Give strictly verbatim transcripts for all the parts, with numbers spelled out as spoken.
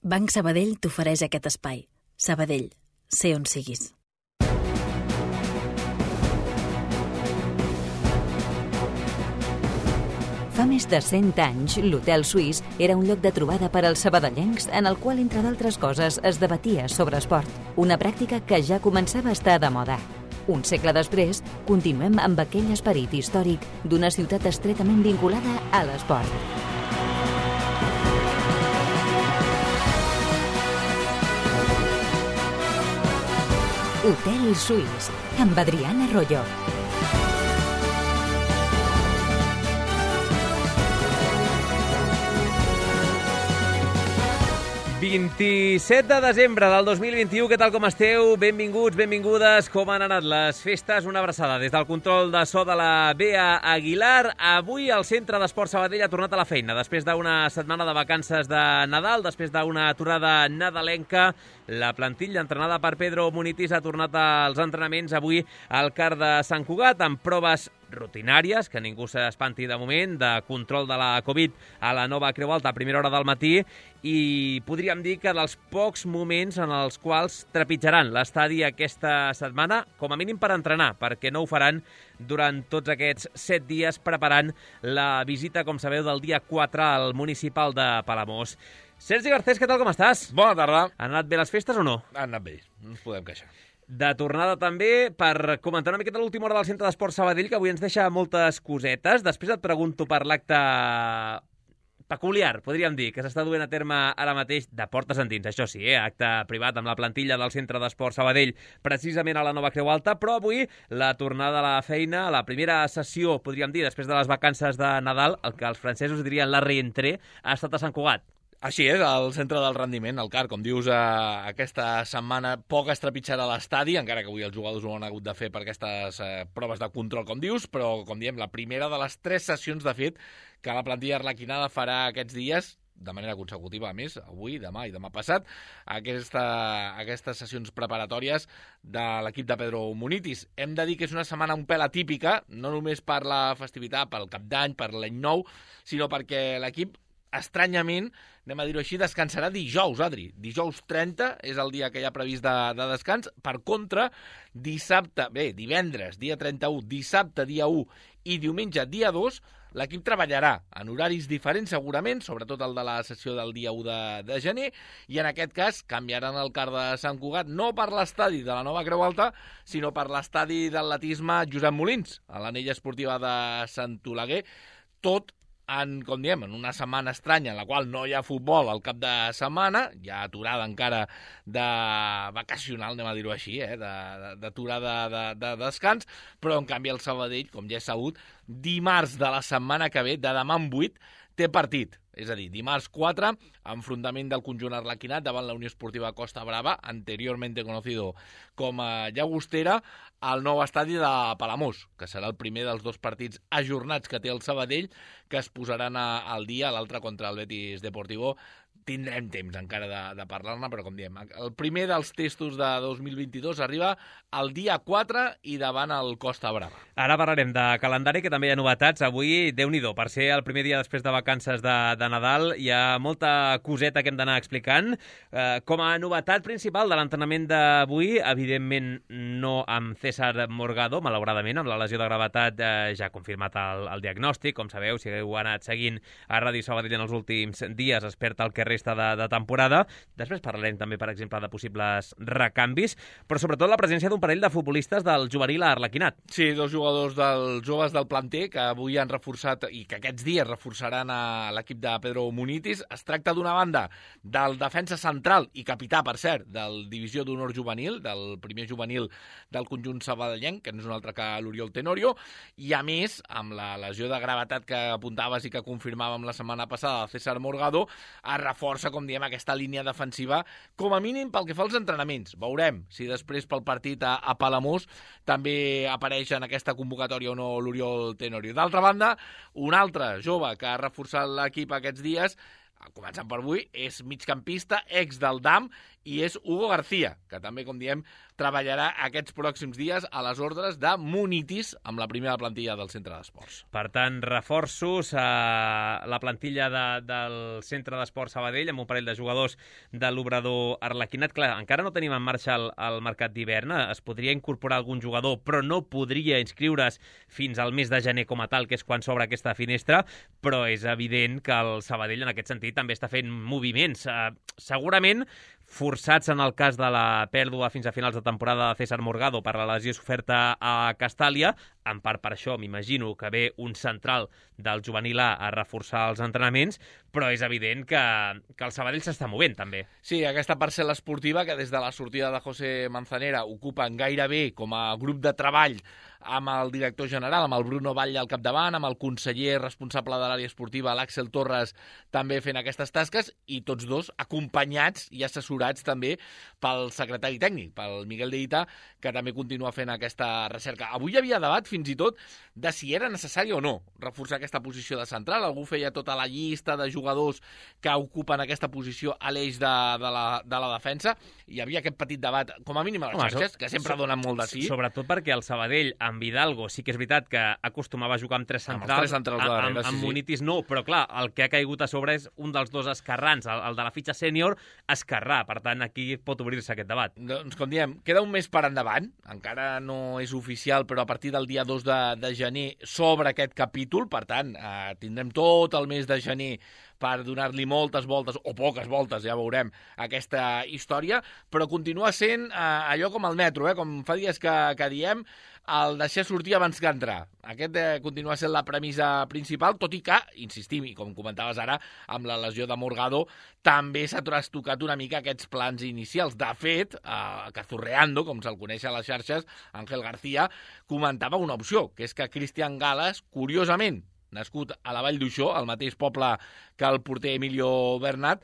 Banc Sabadell t'ofereix aquest espai. Sabadell, sé on siguis. Fa més de cent anys, l'Hotel Suís era un lloc de trobada per als sabadellencs en el qual, entre d'altres coses, es debatia sobre esport. Una pràctica que ja començava a estar de moda. Un segle després, continuem amb aquell esperit històric d'una ciutat estretament vinculada a l'esport. Hotel Suís, amb Adriana Arroyo. vint-i-set de desembre del dos mil vint-i-u, què tal com esteu? Benvinguts, benvingudes, com han anat les festes? Una abraçada des del control de so de la Bea Aguilar. Avui el Centre d'Esport Sabadell ha tornat a la feina, després d'una setmana de vacances de Nadal, després d'una aturada nadalenca. La plantilla entrenada per Pedro Munitis ha tornat als entrenaments avui al CAR de Sant Cugat, amb proves rutinàries, que ningú s'espanti de moment, de control de la Covid a la nova Creu Alta a primera hora del matí, i podríem dir que dels pocs moments en els quals trepitjaran l'estadi aquesta setmana, com a mínim per entrenar, perquè no ho faran durant tots aquests set dies preparant la visita, com sabeu, del dia quatre al municipal de Palamós. Sergi Garcés, què tal, com estàs? Bona tarda. Han anat bé les festes o no? Han anat bé, no ens podem queixar. De tornada també per comentar una miqueta l'última hora del Centre d'Esport Sabadell, que avui ens deixa moltes cosetes. Després et pregunto per l'acte peculiar, podríem dir, que s'està duent a terme ara mateix de portes endins, això sí, eh? Acte privat amb la plantilla del Centre d'Esport Sabadell, precisament a la nova Creu Alta, però avui la tornada a la feina, la primera sessió, podríem dir, després de les vacances de Nadal, el que els francesos dirien la reentrée, ha estat a Sant Cugat. Així és, al centre del rendiment, el CAR, com dius, eh, aquesta setmana poc es trepitjarà a l'estadi, encara que avui els jugadors ho han hagut de fer per aquestes eh, proves de control, com dius, però, com diem, la primera de les tres sessions, de fet, que la plantilla arlequinada farà aquests dies, de manera consecutiva, a més, avui, demà i demà passat, aquesta, aquestes sessions preparatòries de l'equip de Pedro Munitis. Hem de dir que és una setmana un pèl atípica, no només per la festivitat, pel Cap d'Any, per l'Any Nou, sinó perquè l'equip, estranyament, anem a dir-ho així, descansarà dijous, Adri. Dijous trenta és el dia que hi ha previst de, de descans. Per contra, dissabte, bé, divendres, dia trenta-u, dissabte, dia u i diumenge, dia dos, l'equip treballarà en horaris diferents, segurament, sobretot el de la sessió del dia u de, de gener, i en aquest cas canviaran el CAR de Sant Cugat, no per l'estadi de la nova Creu Alta, sinó per l'estadi d'atletisme Josep Molins, a l'anella esportiva de Sant Oleguer, tot en, com diem, en una setmana estranya en la qual no hi ha futbol al cap de setmana, hi ha aturada encara de vacacional, anem a dir-ho així, eh? d'aturada de, de, de descans, però en canvi el Sabadell, com ja és sabut, dimarts de la setmana que ve, de demà en vuit, té partit. És a dir, dimarts quatre, enfrontament del conjunt arlequinat davant la Unió Esportiva Costa Brava, anteriormente conocido com a Llagostera, al nou estadi de Palamós, que serà el primer dels dos partits ajornats que té el Sabadell, que es posaran a, al dia, l'altre contra el Betis Deportivo. Tindrem temps encara de, de parlar-ne, però com diem, el primer dels testos de dos mil vint-i-dos arriba el dia quatre i davant el Costa Brava. Ara parlarem de calendari, que també hi ha novetats. Avui, Déu-n'hi-do, per ser el primer dia després de vacances de, de Nadal, hi ha molta coseta que hem d'anar explicant. Eh, com a novetat principal de l'entrenament d'avui, evidentment no amb César Morgado, malauradament, amb la lesió de gravetat eh, ja ha confirmat el, el diagnòstic. Com sabeu, si heu anat seguint a Ràdio Sabadell en els últims dies, es perd el que resta de, de temporada. Després parlarem també, per exemple, de possibles recanvis, però sobretot la presència d'un parell de futbolistes del juvenil a Arlequinat. Sí, dos jugadors dels joves del planter que avui han reforçat i que aquests dies reforçaran a l'equip de Pedro Munitis. Es tracta d'una banda del defensa central i capità, per cert, del divisió d'honor juvenil, del primer juvenil del conjunt sabadellenc, que no és un altre que l'Oriol Tenorio, i a més, amb la lesió de gravetat que apuntaves i que confirmàvem la setmana passada, César Morgado, es reforça, com diem, aquesta línia defensiva, com a mínim pel que fa als entrenaments. Veurem si després pel partit a, a Palamós també apareix en aquesta convocatòria o no l'Oriol Tenorio. D'altra banda, un altre jove que ha reforçat l'equip aquests dies començant per avui, és migcampista, ex del D A M, i és Hugo García, que també, com diem, treballarà aquests pròxims dies a les ordres de Munitis amb la primera plantilla del centre d'esports. Per tant, reforços a la plantilla de, del centre d'esports Sabadell amb un parell de jugadors de l'Obrador Arlequinat. Clar, encara no tenim en marxa el, el mercat d'hivern, es podria incorporar algun jugador, però no podria inscriure's fins al mes de gener com a tal, que és quan s'obre aquesta finestra, però és evident que el Sabadell en aquest sentit també està fent moviments. Uh, segurament forçats en el cas de la pèrdua fins a finals de temporada de César Morgado per la lesió soferta a Castàlia. En part per això m'imagino que ve un central del juvenil A a reforçar els entrenaments, però és evident que, que el Sabadell s'està movent també. Sí, aquesta parcel·la esportiva que des de la sortida de José Manzanera ocupen gairebé com a grup de treball amb el director general, amb el Bruno Batlle al capdavant, amb el conseller responsable de l'àrea esportiva, l'Àxel Torres, també fent aquestes tasques, i tots dos acompanyats i assessorats també pel secretari tècnic, pel Miguel de Ita, que també continua fent aquesta recerca. Avui hi havia debat fins i tot de si era necessari o no reforçar aquesta posició de central. Algú feia tota la llista de jugadors que ocupen aquesta posició a l'eix de, de, la, de la defensa. Hi havia aquest petit debat, com a mínim a les Home, xarxes, so, que sempre so, donen molt de sí. Sobretot perquè el Sabadell, amb Hidalgo, sí que és veritat que acostumava a jugar amb tres centrals. Amb, tres centrals de darrere, amb, amb sí, sí. Munitis no, però clar, el que ha caigut a sobre és un dels dos esquerrans, el, el de la fitxa sènior, esquerrà. Per tant, aquí pot obrir-se aquest debat. Doncs, com diem, queda un mes per endavant, encara no és oficial, però a partir del dia dos de, de gener s'obre aquest capítol, per tant, eh, tindrem tot el mes de gener per donar-li moltes voltes, o poques voltes, ja veurem, aquesta història, però continua sent eh, allò com el metro, eh, com fa dies que, que diem, el deixar sortir abans que entrar. Aquest eh, continua sent la premissa principal, tot i que, insistim, i com comentaves ara, amb la lesió de Morgado, també s'ha trastocat una mica aquests plans inicials. De fet, eh, Cazurreando, com se'l coneix a les xarxes, Ángel García, comentava una opció, que és que Cristian Gales, curiosament, nascut a la Vall d'Uixó, al mateix poble que el porter Emilio Bernat,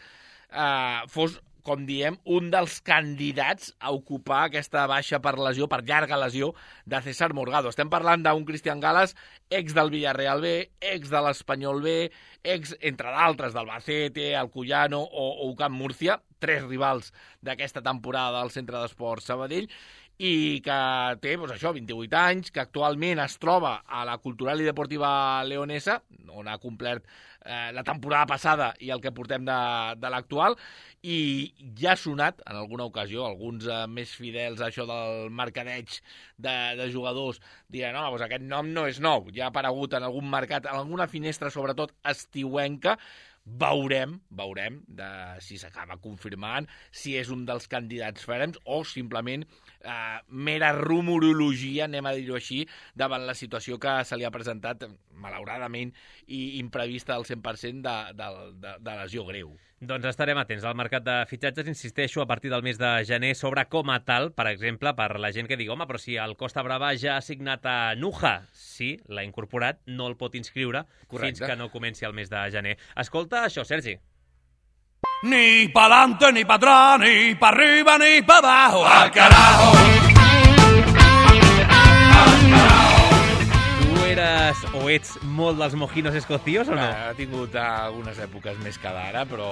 eh, fos, com diem, un dels candidats a ocupar aquesta baixa per lesió, per llarga lesió, de César Morgado. Estem parlant d'un Cristian Gales, ex del Villarreal B, ex de l'Espanyol B, ex, entre d'altres, del Albacete, Alcoyano o, o Camp Múrcia, tres rivals d'aquesta temporada del Centre d'Esports Sabadell, i que té, doncs això, vint-i-vuit anys, que actualment es troba a la Cultural i Deportiva Leonesa, on ha complert eh, la temporada passada i el que portem de, de l'actual, i ja ha sonat en alguna ocasió, alguns eh, més fidels a això del mercadeig de, de jugadors, diran, no, doncs aquest nom no és nou, ja ha aparegut en algun mercat, en alguna finestra, sobretot estiuenca. Veurem, veurem de si s'acaba confirmant, si és un dels candidats ferms o simplement eh, mera rumorologia, anem a dir-ho així, davant la situació que se li ha presentat, malauradament i imprevista al cent per cent de, de, de, de lesió greu. Doncs estarem atents al mercat de fitxatges, insisteixo, a partir del mes de gener, sobre com a tal, per exemple, per la gent que digui, home, però si el Costa Brava ja ha signat a Nuja, sí, l'ha incorporat, no el pot inscriure Correcte. Fins que no comenci el mes de gener. Escolta això, Sergi. Ni pa'lante, ni pa' atrás, ni pa' arriba, ni pa' abajo. ¡Al carajo! ¡Al carajo! Eres o ets molt dels mojinos escocios o no? Ha tingut algunes èpoques més que d'ara, però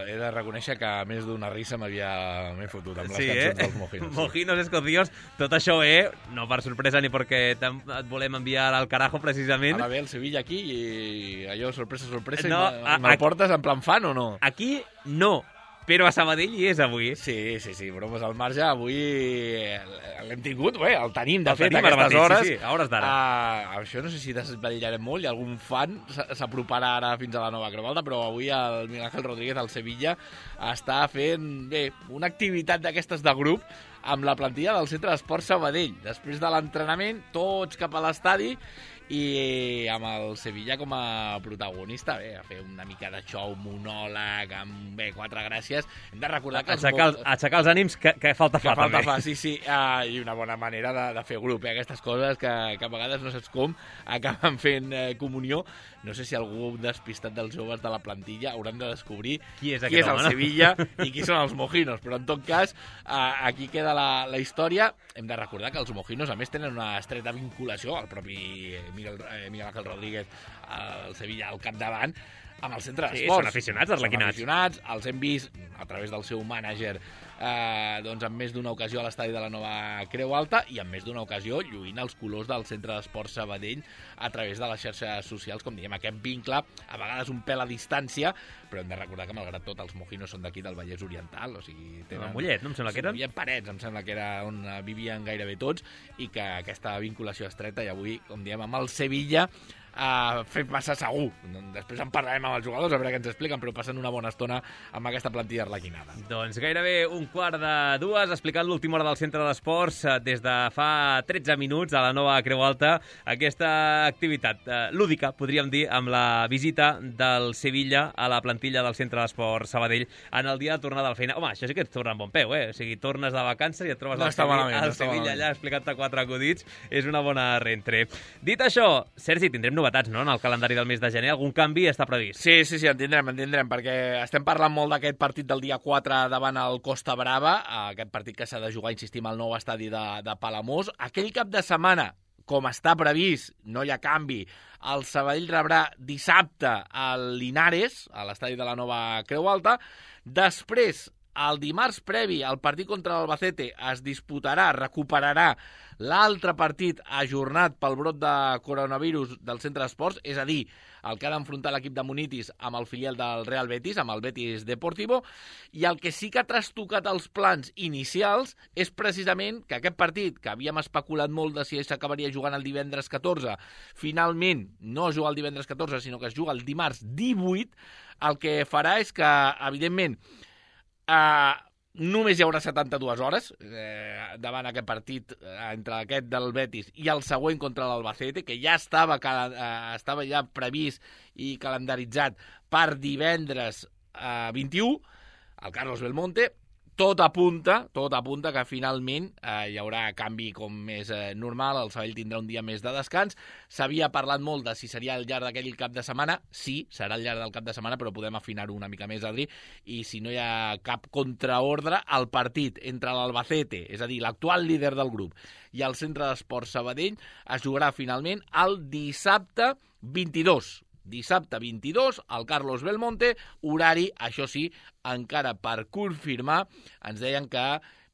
he de reconèixer que més d'una risa m'havia m'he fotut amb les sí, cançons eh? dels mojinos. Sí. Mojinos escocios, tot això, eh? No per sorpresa ni perquè et volem enviar al carajo, precisament. Ara ve el Sevilla aquí i allò, sorpresa, sorpresa, no, i me'l portes en plan fan o no? Aquí no, però a Sabadell hi és avui. Sí, sí, sí, bromes al marge. Avui l'hem tingut, bé, el tenim, de el fet, tenim a aquestes mateix, hores. Sí, sí, a hores d'ara. Uh, això no sé si desvetllarem molt, i algun fan s'aproparà ara fins a la nova Cromalda, però avui el Miguel Ángel Rodríguez, al Sevilla, està fent, bé, una activitat d'aquestes de grup amb la plantilla del Centre d'Esports Sabadell. Després de l'entrenament, tots cap a l'estadi, i amb el Sevilla com a protagonista, bé, a fer una mica de show, monòleg, amb, bé, quatre gràcies. Hem de recordar que... Aixecar, els, aixecar els ànims, que, que falta fa, que falta també. fa, sí, sí, uh, i una bona manera de, de fer grup, eh? Aquestes coses que, que a vegades no saps com acaben fent eh, comunió. No sé si algú despistat dels joves de la plantilla hauran de descobrir qui és, qui és el home, Sevilla i qui són els mojinos, però en tot cas uh, aquí queda la, la història. Hem de recordar que els mojinos a més tenen una estreta vinculació al propi Miguel, eh, Miguel Ángel Rodríguez, al Sevilla al capdavant, Amb el centre Sí, d'esports. són aficionats, arlequinats. Són aficionats, els hem vist a través del seu mànager eh, doncs en més d'una ocasió a l'estadi de la Nova Creu Alta i en més d'una ocasió lluint els colors del centre d'esports Sabadell a través de les xarxes socials, com diem, aquest vincle, a vegades un pèl a distància, però hem de recordar que, malgrat tot, els mojinos són d'aquí del Vallès Oriental, o sigui... Tenen... A Mollet, no? Em sembla que eren. Hi havia Parets, em sembla que era on vivien gairebé tots, i que aquesta vinculació estreta, i avui, com diem, amb el Sevilla, Uh, fet massa segur. Després en parlarem amb els jugadors, a veure què ens expliquen, però passen una bona estona amb aquesta plantilla arlequinada. Doncs gairebé un quart de dues, explicant l'última hora del centre d'esports des de fa tretze minuts a la Nova Creu Alta, aquesta activitat uh, lúdica, podríem dir, amb la visita del Sevilla a la plantilla del centre d'esports Sabadell en el dia de tornada a la feina. Home, això sí que et torna en bon peu, eh? O sigui, tornes de vacances i et trobes no al està Sevilla, malament, al no està Sevilla malament. allà explicant-te quatre acudits. És una bona rentre. Dit això, Sergi, tindrem novetats, no?, en el calendari del mes de gener. Algun canvi està previst? Sí, sí, sí, en tindrem, en tindrem, perquè estem parlant molt d'aquest partit del dia quatre davant el Costa Brava, aquest partit que s'ha de jugar, insistim, al nou estadi de, de Palamós. Aquell cap de setmana, com està previst, no hi ha canvi, el Sabadell rebrà dissabte al Linares, a l'estadi de la Nova Creu Alta. Després, el dimarts previ al partit contra l'Albacete es disputarà, recuperarà l'altre partit ajornat pel brot de coronavirus del centre d'esports, és a dir, el que ha d'enfrontar l'equip de Munitis amb el filial del Real Betis, amb el Betis Deportivo, i el que sí que ha trastocat els plans inicials és precisament que aquest partit, que havíem especulat molt de si s'acabaria jugant el divendres catorze, finalment no es juga el divendres catorze, sinó que es juga el dimarts divuit, el que farà és que, evidentment, Uh, només hi haurà setanta-dues hores eh, davant aquest partit eh, entre aquest del Betis i el següent contra l'Albacete, que ja estava, uh, estava ja previst i calendaritzat per divendres uh, vint-i-u, el Carlos Belmonte. Tot apunta, tot apunta que finalment eh, hi haurà canvi com més eh, normal, el Sabadell tindrà un dia més de descans. S'havia parlat molt de si seria al llarg d'aquell cap de setmana. Sí, serà al llarg del cap de setmana, però podem afinar-ho una mica més, Adri, i si no hi ha cap contraordre, el partit entre l'Albacete, és a dir, l'actual líder del grup, i el centre d'esports Sabadell es jugarà finalment el dissabte vint-i-dos. Dissabte vint-i-dos, el Carlos Belmonte, horari, això sí, encara per confirmar, ens deien que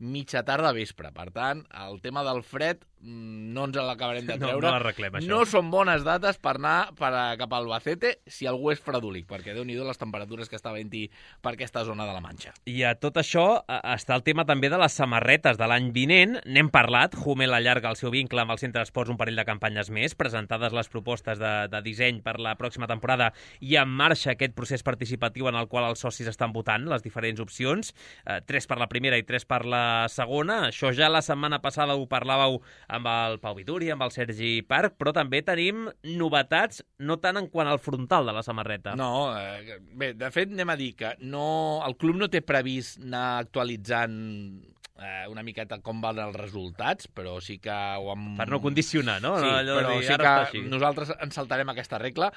mitja tarda vespre. Per tant, el tema del fred no ens l'acabarem de treure. No, no l'arreglem, això. No són bones dates per anar per a, cap a Albacete si algú és fredolic, perquè Déu-n'hi-do les temperatures que està havent-hi per aquesta zona de la Manxa. I a tot això està el tema també de les samarretes de l'any vinent. N'hem parlat, Hummel allarga el seu vincle amb el centre d'esports un parell de campanyes més, presentades les propostes de, de disseny per la pròxima temporada i en marxa aquest procés participatiu en el qual els socis estan votant les diferents opcions, eh, tres per la primera i tres per la segona. Això ja la setmana passada ho parlàveu amb el Pau Vituri, amb el Sergi Parc, però també tenim novetats, no tant en quant al frontal de la samarreta. No, eh, bé, de fet anem a dir que no, el club no té previst anar actualitzant eh, una miqueta com van els resultats, però sí que ho hem... Per no condicionar, no? Sí, Allò però de dir, sí ara està que així. nosaltres ens saltarem aquesta regla.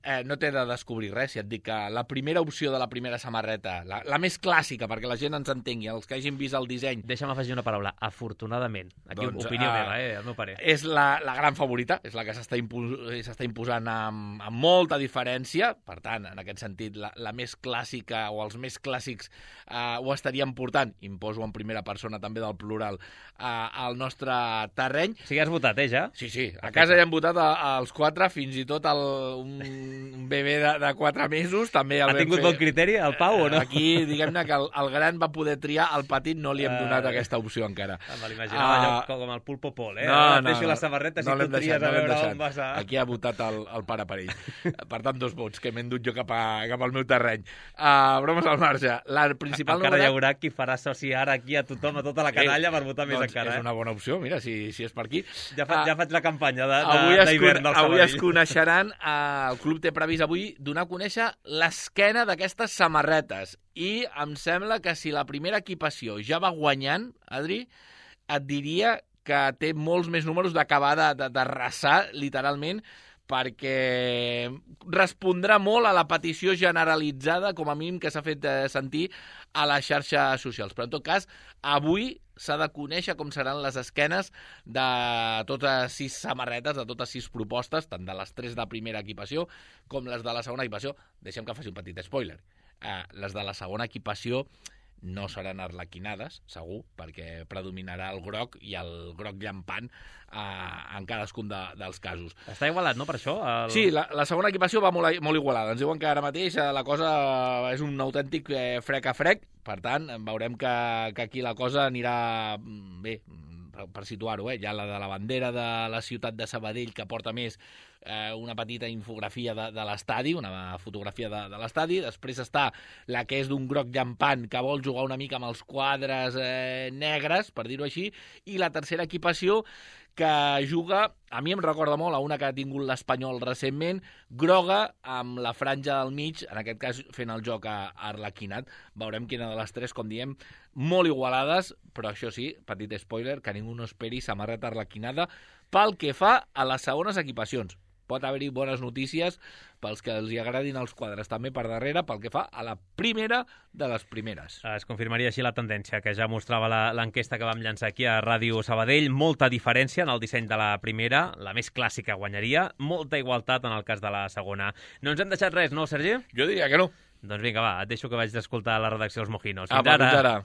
Eh, no t'he de descobrir res, si et dic que la primera opció de la primera samarreta, la, la més clàssica, perquè la gent ens entengui, els que hagin vist el disseny... Deixa'm afegir una paraula, afortunadament. Aquí Doncs, opinió uh, meva, eh, el meu parer. És la, la gran favorita, és la que s'està impos imposant amb, amb molta diferència. Per tant, en aquest sentit, la, la més clàssica o els més clàssics uh, ho estaríem portant, imposo en primera persona també del plural, uh, al nostre terreny. O sigui, has votat, eh, ja? Sí, sí, a casa ja hem votat a, als quatre, fins i tot el, un un bebè de, de quatre mesos també el ha vam tingut fer. bon criteri, el Pau, o no? Aquí, diguem-ne que el, el gran va poder triar, el petit no li hem donat uh, aquesta opció encara. Me l'imaginava uh, allò com el Pulpo Pol, eh? No, Ara no, deixo no, les samarretes no i tu tries deixat, a no veure deixat. on vas a... Aquí ha votat el, el pare per ell. Per tant, dos vots que m'he endut jo cap, a, cap al meu terreny. Uh, bromes al marge. La principal encara novetat... hi haurà qui farà soci ara aquí a tothom, a tota la canalla, per votar més doncs encara. És Eh? una bona opció, mira, si, si és per aquí. Ja, fa, Uh, ja faig la campanya de, Avui, de, es, d'hivern del avui Sabadell. es coneixeran, eh, el club té previst avui donar a conèixer l'esquena d'aquestes samarretes i em sembla que si la primera equipació ja va guanyant, Adri, et diria que té molts més números d'acabar de, de, de rassar, literalment, perquè respondrà molt a la petició generalitzada, com a mínim, que s'ha fet eh, sentir a les xarxes socials. Però, en tot cas, avui s'ha de conèixer com seran les esquenes de totes sis samarretes, de totes sis propostes, tant de les tres de primera equipació com les de la segona equipació. Deixem que faci un petit spoiler. Eh, les de la segona equipació no seran arlequinades, segur, perquè predominarà el groc i el groc llampant eh, en cadascun de, dels casos. Està igualat, no, per això? El... Sí, la, la segona equipació va molt, molt igualada. Ens diuen que ara mateix la cosa és un autèntic eh, frec a frec, per tant, veurem que, que aquí la cosa anirà bé, per, per situar-ho, eh? Hi ha la de la bandera de la ciutat de Sabadell, que porta més eh, una petita infografia de, de l'estadi, una fotografia de, de l'estadi. Després està la que és d'un groc llampant, que vol jugar una mica amb els quadres eh, negres, per dir-ho així, i la tercera equipació, que juga, a mi em recorda molt a una que ha tingut l'Espanyol recentment, groga amb la franja del mig, en aquest cas fent el joc a, a arlequinat. Veurem quina de les tres, com diem, molt igualades, però això sí, petit spoiler, que ningú no esperi samarreta arlequinada pel que fa a les segones equipacions. Pot haver-hi bones notícies pels que els hi agradin els quadres també per darrere, pel que fa a la primera de les primeres. Es confirmaria així la tendència que ja mostrava l'enquesta que vam llançar aquí a Ràdio Sabadell. Molta diferència en el disseny de la primera, la més clàssica guanyaria, molta igualtat en el cas de la segona. No ens hem deixat res, no, Sergi? Jo diria que no. Doncs vinga, va, et deixo que vaig d'escoltar la redacció dels Mojinos. Fins Apa, ara. Fins ara.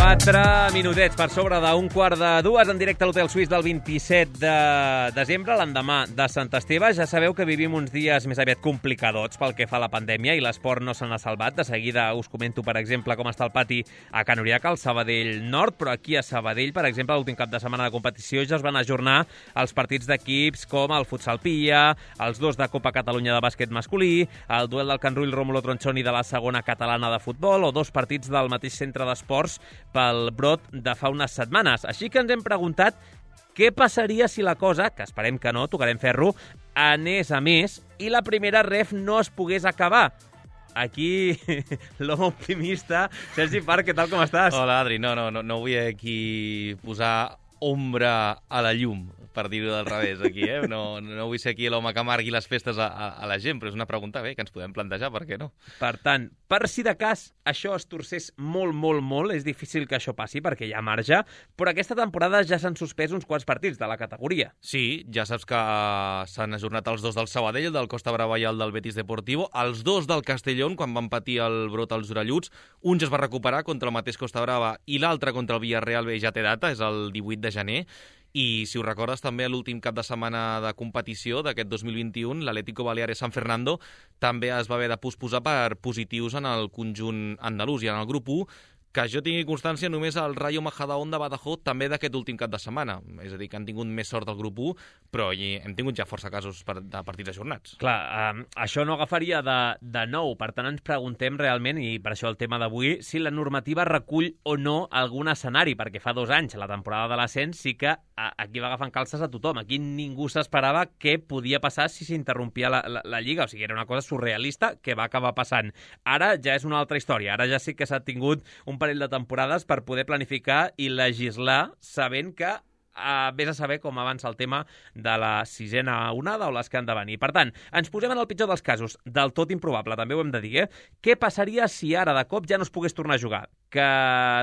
Quatre minutets per sobre d'un quart de dues en directe a l'Hotel Suís del vint-i-set de desembre, l'endemà de Sant Esteve. Ja sabeu que vivim uns dies més aviat complicadots pel que fa a la pandèmia i l'esport no se n'ha salvat. De seguida us comento, per exemple, com està el pati a Can Uriaca, al Sabadell Nord, però aquí a Sabadell, per exemple, l'últim cap de setmana de competició ja es van ajornar els partits d'equips com el Futsal Pia, els dos de Copa Catalunya de bàsquet masculí, el duel del Can Rull Rómulo Tronchoni de la segona catalana de futbol o dos partits del mateix centre d'esports pel brot de fa unes setmanes. Així que ens hem preguntat què passaria si la cosa, que esperem que no, tocarem ferro, anés a més i la primera ref no es pogués acabar. Aquí, l'home optimista, Sergi Parc, què tal, com estàs? Hola, Adri. No, no, no, no vull aquí posar ombra a la llum, per dir-ho del revés, aquí, eh? No, no vull ser aquí l'home que amargui les festes a, a, a la gent, però és una pregunta bé que ens podem plantejar, per què no? Per tant, per si de cas això es torcés molt, molt, molt, és difícil que això passi perquè hi ha marge, però aquesta temporada ja s'han suspès uns quants partits de la categoria. Sí, ja saps que s'han ajornat els dos del Sabadell, el del Costa Brava i el del Betis Deportivo, els dos del Castellón, quan van patir el brot als orelluts, un ja es va recuperar contra el mateix Costa Brava i l'altre contra el Villarreal bé ja té data, és el divuit de gener. I, si ho recordes, també l'últim cap de setmana de competició d'aquest dos mil vint-i-u, l'Atlético Baleares San Fernando també es va haver de posposar per positius en el conjunt andalús i en el grup u, que jo tingui constància només el Rayo Majadahonda Badajoz també d'aquest últim cap de setmana. És a dir, que han tingut més sort del grup u, però hem tingut ja força casos per, de partits ajornats. Clar, eh, això no agafaria de, de nou, per tant ens preguntem realment, i per això el tema d'avui, si la normativa recull o no algun escenari, perquè fa dos anys, la temporada de l'ascens, sí que a, aquí va agafant calces a tothom. Aquí ningú s'esperava què podia passar si s'interrompia la, la, la Lliga, o sigui, era una cosa surrealista que va acabar passant. Ara ja és una altra història, ara ja sí que s'ha tingut un parell de temporades per poder planificar i legislar sabent que a vés a saber com avança el tema de la sisena onada o les que han de venir. Per tant, ens posem en el pitjor dels casos, del tot improbable, també ho hem de dir, eh? Què passaria si ara de cop ja no es pogués tornar a jugar? Que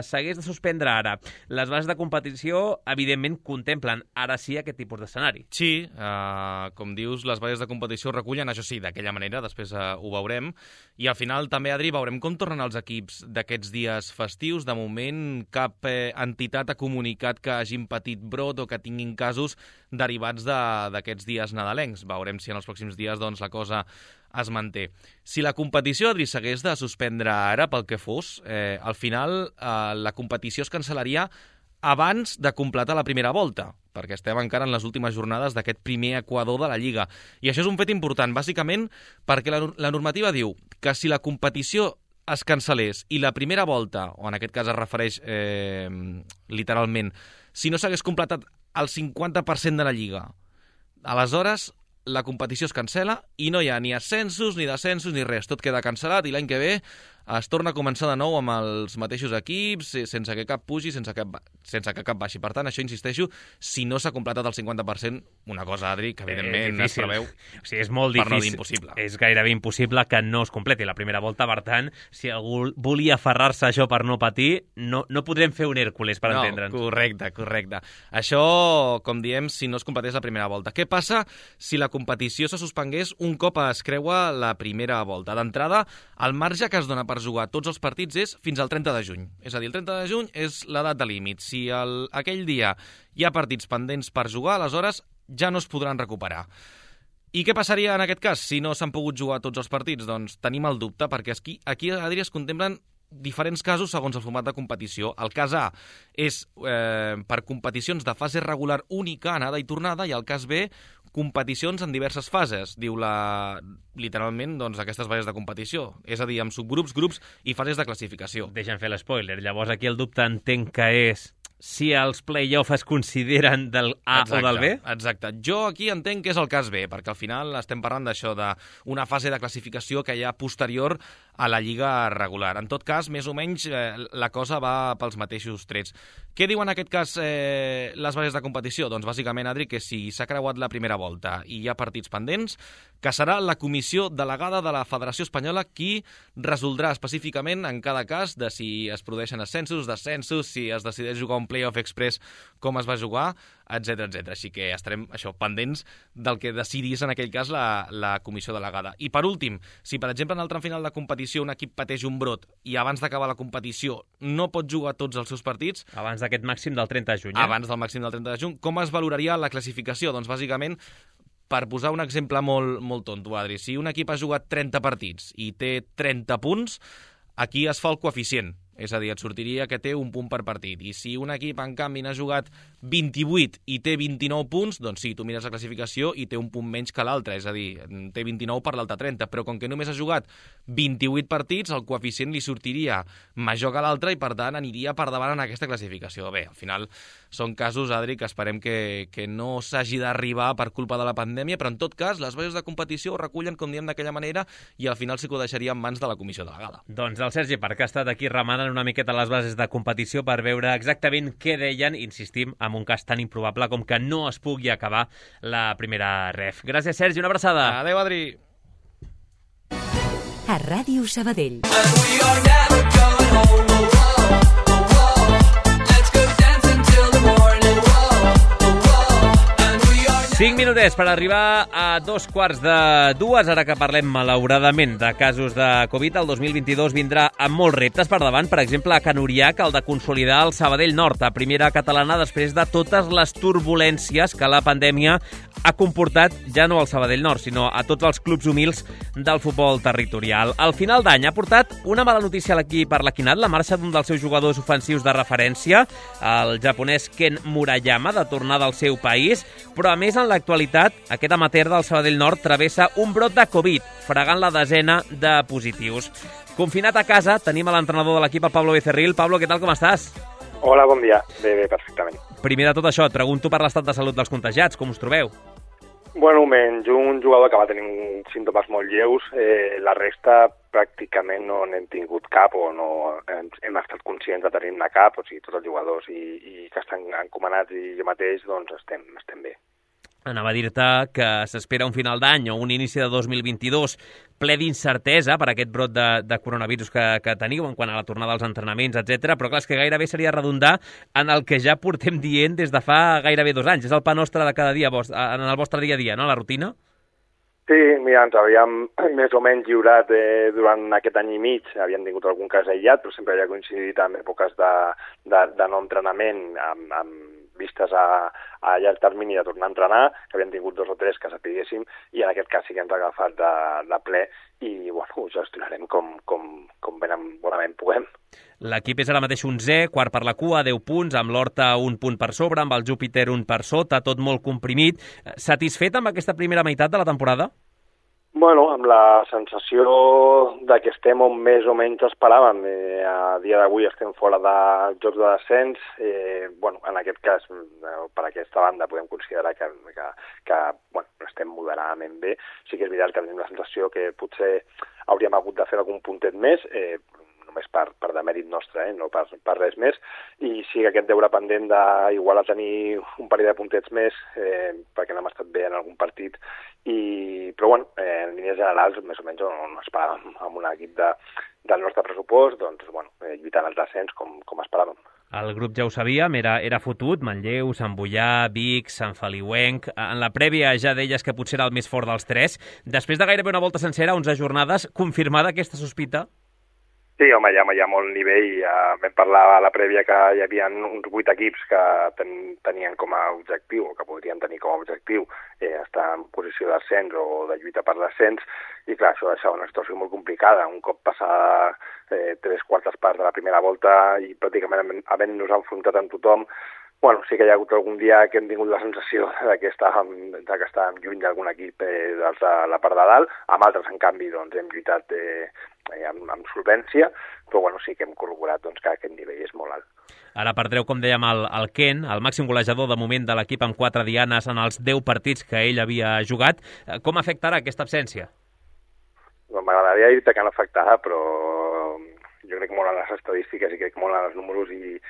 s'hagués de suspendre ara? Les bases de competició, evidentment, contemplen ara sí aquest tipus d'escenari. Sí, uh, com dius, les bases de competició recullen, això sí, d'aquella manera, després uh, ho veurem, i al final també, Adri, veurem com tornen els equips d'aquests dies festius. De moment, cap eh, entitat ha comunicat que hagin patit brot o que tinguin casos derivats d'aquests de, dies nadalencs. Veurem si en els pròxims dies doncs, la cosa es manté. Si la competició, Adri, s'hagués de suspendre ara pel que fos, eh, al final eh, la competició es cancel·laria abans de completar la primera volta, perquè estem encara en les últimes jornades d'aquest primer equador de la Lliga. I això és un fet important, bàsicament perquè la, la normativa diu que si la competició es cancel·lés i la primera volta, o en aquest cas es refereix eh, literalment, si no s'hagués completat el cinquanta per cent de la Lliga, aleshores la competició es cancela i no hi ha ni ascensos, ni descensos, ni res. Tot queda cancel·lat i l'any que ve es torna a començar de nou amb els mateixos equips, sense que cap pugi, sense que, sense que cap baixi. Per tant, això, insisteixo, si no s'ha completat el cinquanta per cent, una cosa, Adri, que evidentment eh, es preveu, o sigui, és molt per no dir difícil, impossible. És gairebé impossible que no es completi la primera volta. Per tant, si algú volia aferrar-se a això per no patir, no, no podrem fer un Hèrcules, per no, entendre'ns. Correcte, correcte. Això, com diem, si no es completés la primera volta. Què passa si la competició se suspengués un cop es creua la primera volta? D'entrada, el marge que es dona per jugar tots els partits és fins al trenta de juny. És a dir, el trenta de juny és la data límit. Si el, aquell dia hi ha partits pendents per jugar, aleshores ja no es podran recuperar. I què passaria en aquest cas si no s'han pogut jugar tots els partits? Doncs tenim el dubte, perquè aquí, aquí Adri, es contemplen diferents casos segons el format de competició. El cas A és eh, per competicions de fase regular única, anada i tornada, i el cas B, competicions en diverses fases, diu la, literalment doncs, aquestes fases de competició, és a dir, amb subgrups, grups i fases de classificació. Deixa'm fer l'espoiler. Llavors aquí el dubte entenc que és si els play-off es consideren del A exacte, o del B? Exacte. Jo aquí entenc que és el cas B, perquè al final estem parlant d'això, d'una fase de classificació que hi ha posterior a la lliga regular. En tot cas, més o menys, eh, la cosa va pels mateixos trets. Què diuen en aquest cas eh, les bases de competició? Doncs bàsicament, Adri, que si s'ha creuat la primera volta i hi ha partits pendents, que serà la comissió delegada de la Federació Espanyola qui resoldrà específicament en cada cas de si es produeixen ascensos, descensos, si es decideix jugar un play-off express, com es va jugar, etcètera, etcètera. Així que estarem això pendents del que decidís en aquell cas la, la comissió delegada. I per últim, si per exemple en el tram final de competició un equip pateix un brot i abans d'acabar la competició no pot jugar tots els seus partits... Abans d'aquest màxim del trenta de juny, eh? Abans del màxim del trenta de juny. Com es valoraria la classificació? Doncs bàsicament, per posar un exemple molt, molt tonto, Adri, si un equip ha jugat trenta partits i té trenta punts, aquí es fa el coeficient. És a dir, et sortiria que té un punt per partit. I si un equip, en canvi, n'ha jugat vint-i-vuit i té vint-i-nou punts, doncs sí, tu mires la classificació i té un punt menys que l'altre. És a dir, té vint-i-nou per l'altre trenta. Però com que només ha jugat vint-i-vuit partits, el coeficient li sortiria major que l'altre i, per tant, aniria per davant en aquesta classificació. Bé, al final són casos, Adri, que esperem que, que no s'hagi d'arribar per culpa de la pandèmia, però en tot cas, les bases de competició ho recullen, com diem, d'aquella manera i al final sí que ho deixaria en mans de la comissió delegada. Doncs el Sergi Parc ha estat aquí remenant una miqueta les bases de competició per veure exactament què deien, insistim, en un cas tan improbable com que no es pugui acabar la primera ref. Gràcies, Sergi, una abraçada. Adéu, Adri. A Ràdio Sabadell. Cinc minutets per arribar a dos quarts de dues. Ara que parlem, malauradament, de casos de Covid, el dos mil vint-i-dos vindrà amb molts reptes per davant. Per exemple, a Can Uriac, el de consolidar el Sabadell Nord, a primera catalana, després de totes les turbulències que la pandèmia ha comportat ja no al Sabadell Nord, sinó a tots els clubs humils del futbol territorial. Al final d'any ha portat una mala notícia a l'equip arlequinat, la marxa d'un dels seus jugadors ofensius de referència, el japonès Ken Murayama, de tornada al seu país, però a més en l'actualitat aquest amateur del Sabadell Nord travessa un brot de Covid, fregant la desena de positius. Confinat a casa, tenim a l'entrenador de l'equip, el Pablo Becerril. Pablo, què tal, com estàs? Hola, bon dia. Bé, bé, perfectament. Primer de tot això, et pregunto per l'estat de salut dels contagiats, com us trobeu? Bueno, menys un jugador que va tenir símptomes molt lleus, eh, la resta pràcticament no n'hem tingut cap o no hem, hem estat conscients de tenir-ne cap, o sigui, tots els jugadors i, i que estan encomanats i jo mateix, doncs estem, estem bé. Anava a dir-te que s'espera un final d'any o un inici de dos mil vint-i-dos ple d'incertesa per aquest brot de, de coronavirus que, que teniu en quant a la tornada als entrenaments, etcètera. Però clar, és que gairebé seria redundar en el que ja portem dient des de fa gairebé dos anys. És el pa nostre de cada dia, en el vostre dia a dia, no?, la rutina? Sí, mira, ens havíem més o menys lliurat eh, durant aquest any i mig, havíem tingut algun cas aïllat, però sempre havia coincidit amb èpoques de, de, de no entrenament, amb, amb vistes a, a llarg termini de tornar a entrenar, que havien tingut dos o tres que sapiguéssim, i en aquest cas sí que ens ha agafat de, de ple i bueno, ho gestionarem com, com, com ben bonament puguem. L'equip és ara mateix onzè, quart per la cua, deu punts, amb l'Horta un punt per sobre, amb el Júpiter un per sota, tot molt comprimit. Satisfet amb aquesta primera meitat de la temporada? Bueno, amb la sensació de que estem on més o menys esperàvem. Eh, a dia d'avui estem fora de jocs de descens. Eh, bueno, en aquest cas, per aquesta banda, podem considerar que, que, que bueno, estem moderadament bé. Sí que és veritat que tenim la sensació que potser hauríem hagut de fer algun puntet més, eh, només per, per demèrit nostre, eh? no per, per res més, i sí que aquest deure pendent d'igual a tenir un parell de puntets més, eh, perquè no hem estat bé en algun partit, i, però bueno, eh, en línies generals, més o menys on esperàvem amb un equip de, del nostre pressupost, doncs, bueno, eh, lluitant al descens com, com esperàvem. El grup ja ho sabíem, era, era fotut, Manlleu, Sant Boià, Vic, Sant Feliuenc. En la prèvia ja deies que potser era el més fort dels tres. Després de gairebé una volta sencera, onze jornades, confirmada aquesta sospita? Sí, home, hi ha, hi ha molt nivell. Ja vam parlar a la prèvia que hi havia uns vuit equips que ten, tenien com a objectiu, o que podrien tenir com a objectiu, eh, estar en posició d'ascens o de lluita per l'ascens, i clar, això deixava una situació molt complicada. Un cop passada eh, tres quartes parts de la primera volta i pràcticament havent-nos enfrontat amb tothom, bueno, sí que hi ha hagut algun dia que hem tingut la sensació de que estàvem, de que estàvem lluny d'algun equip eh, dels de la part de dalt. Amb altres, en canvi, doncs, hem lluitat eh, amb, amb solvència, però bueno, sí que hem corroborat doncs, que aquest nivell és molt alt. Ara perdreu, com dèiem, el, el Ken, el màxim golejador de moment de l'equip amb quatre dianes en els deu partits que ell havia jugat. Com afectarà aquesta absència? Bueno, m'agradaria dir-te que no afectarà, però jo crec molt en les estadístiques i crec molt en els números, i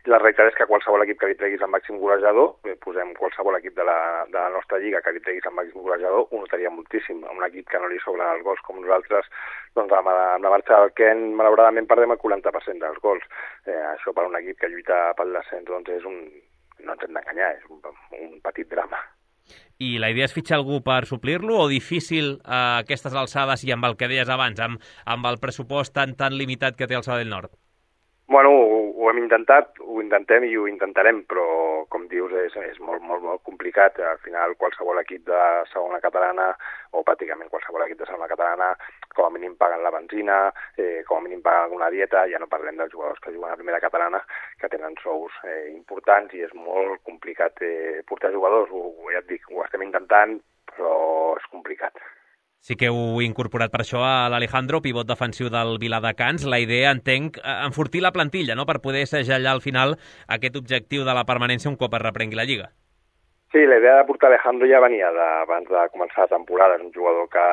I la realitat és que qualsevol equip que li treguis el màxim golejador, eh, posem qualsevol equip de la, de la nostra lliga que li treguis el màxim golejador, ho notaria moltíssim. A un equip que no li sobren els gols com nosaltres, doncs amb la, amb la marxa del Ken, malauradament perdem el quaranta per cent dels gols. Eh, això per un equip que lluita pel descens, doncs és un, no ens hem d'enganyar, és un, un petit drama. I la idea és fitxar algú per suplir-lo, o difícil a eh, aquestes alçades i amb el que deies abans, amb, amb el pressupost tan, tan limitat que té el Sabadell Nord? Bueno, ho, ho hem intentat, ho intentem i ho intentarem, però, com dius, és, és molt, molt, molt complicat. Al final, qualsevol equip de segona catalana, o pràcticament qualsevol equip de segona catalana, com a mínim paguen la benzina, eh, com a mínim paguen alguna dieta, ja no parlem dels jugadors que juguen a primera catalana, que tenen sous eh, importants, i és molt complicat eh, portar jugadors. Ho, ja et dic, ho estem intentant, però és complicat. Sí que heu incorporat per això a l'Alejandro, pivot defensiu del Viladecans. La idea, entenc, enfortir la plantilla, no?, per poder segellar al final aquest objectiu de la permanència un cop es reprengui la Lliga. Sí, la idea de portar Alejandro ja venia abans de començar la temporada. És un jugador que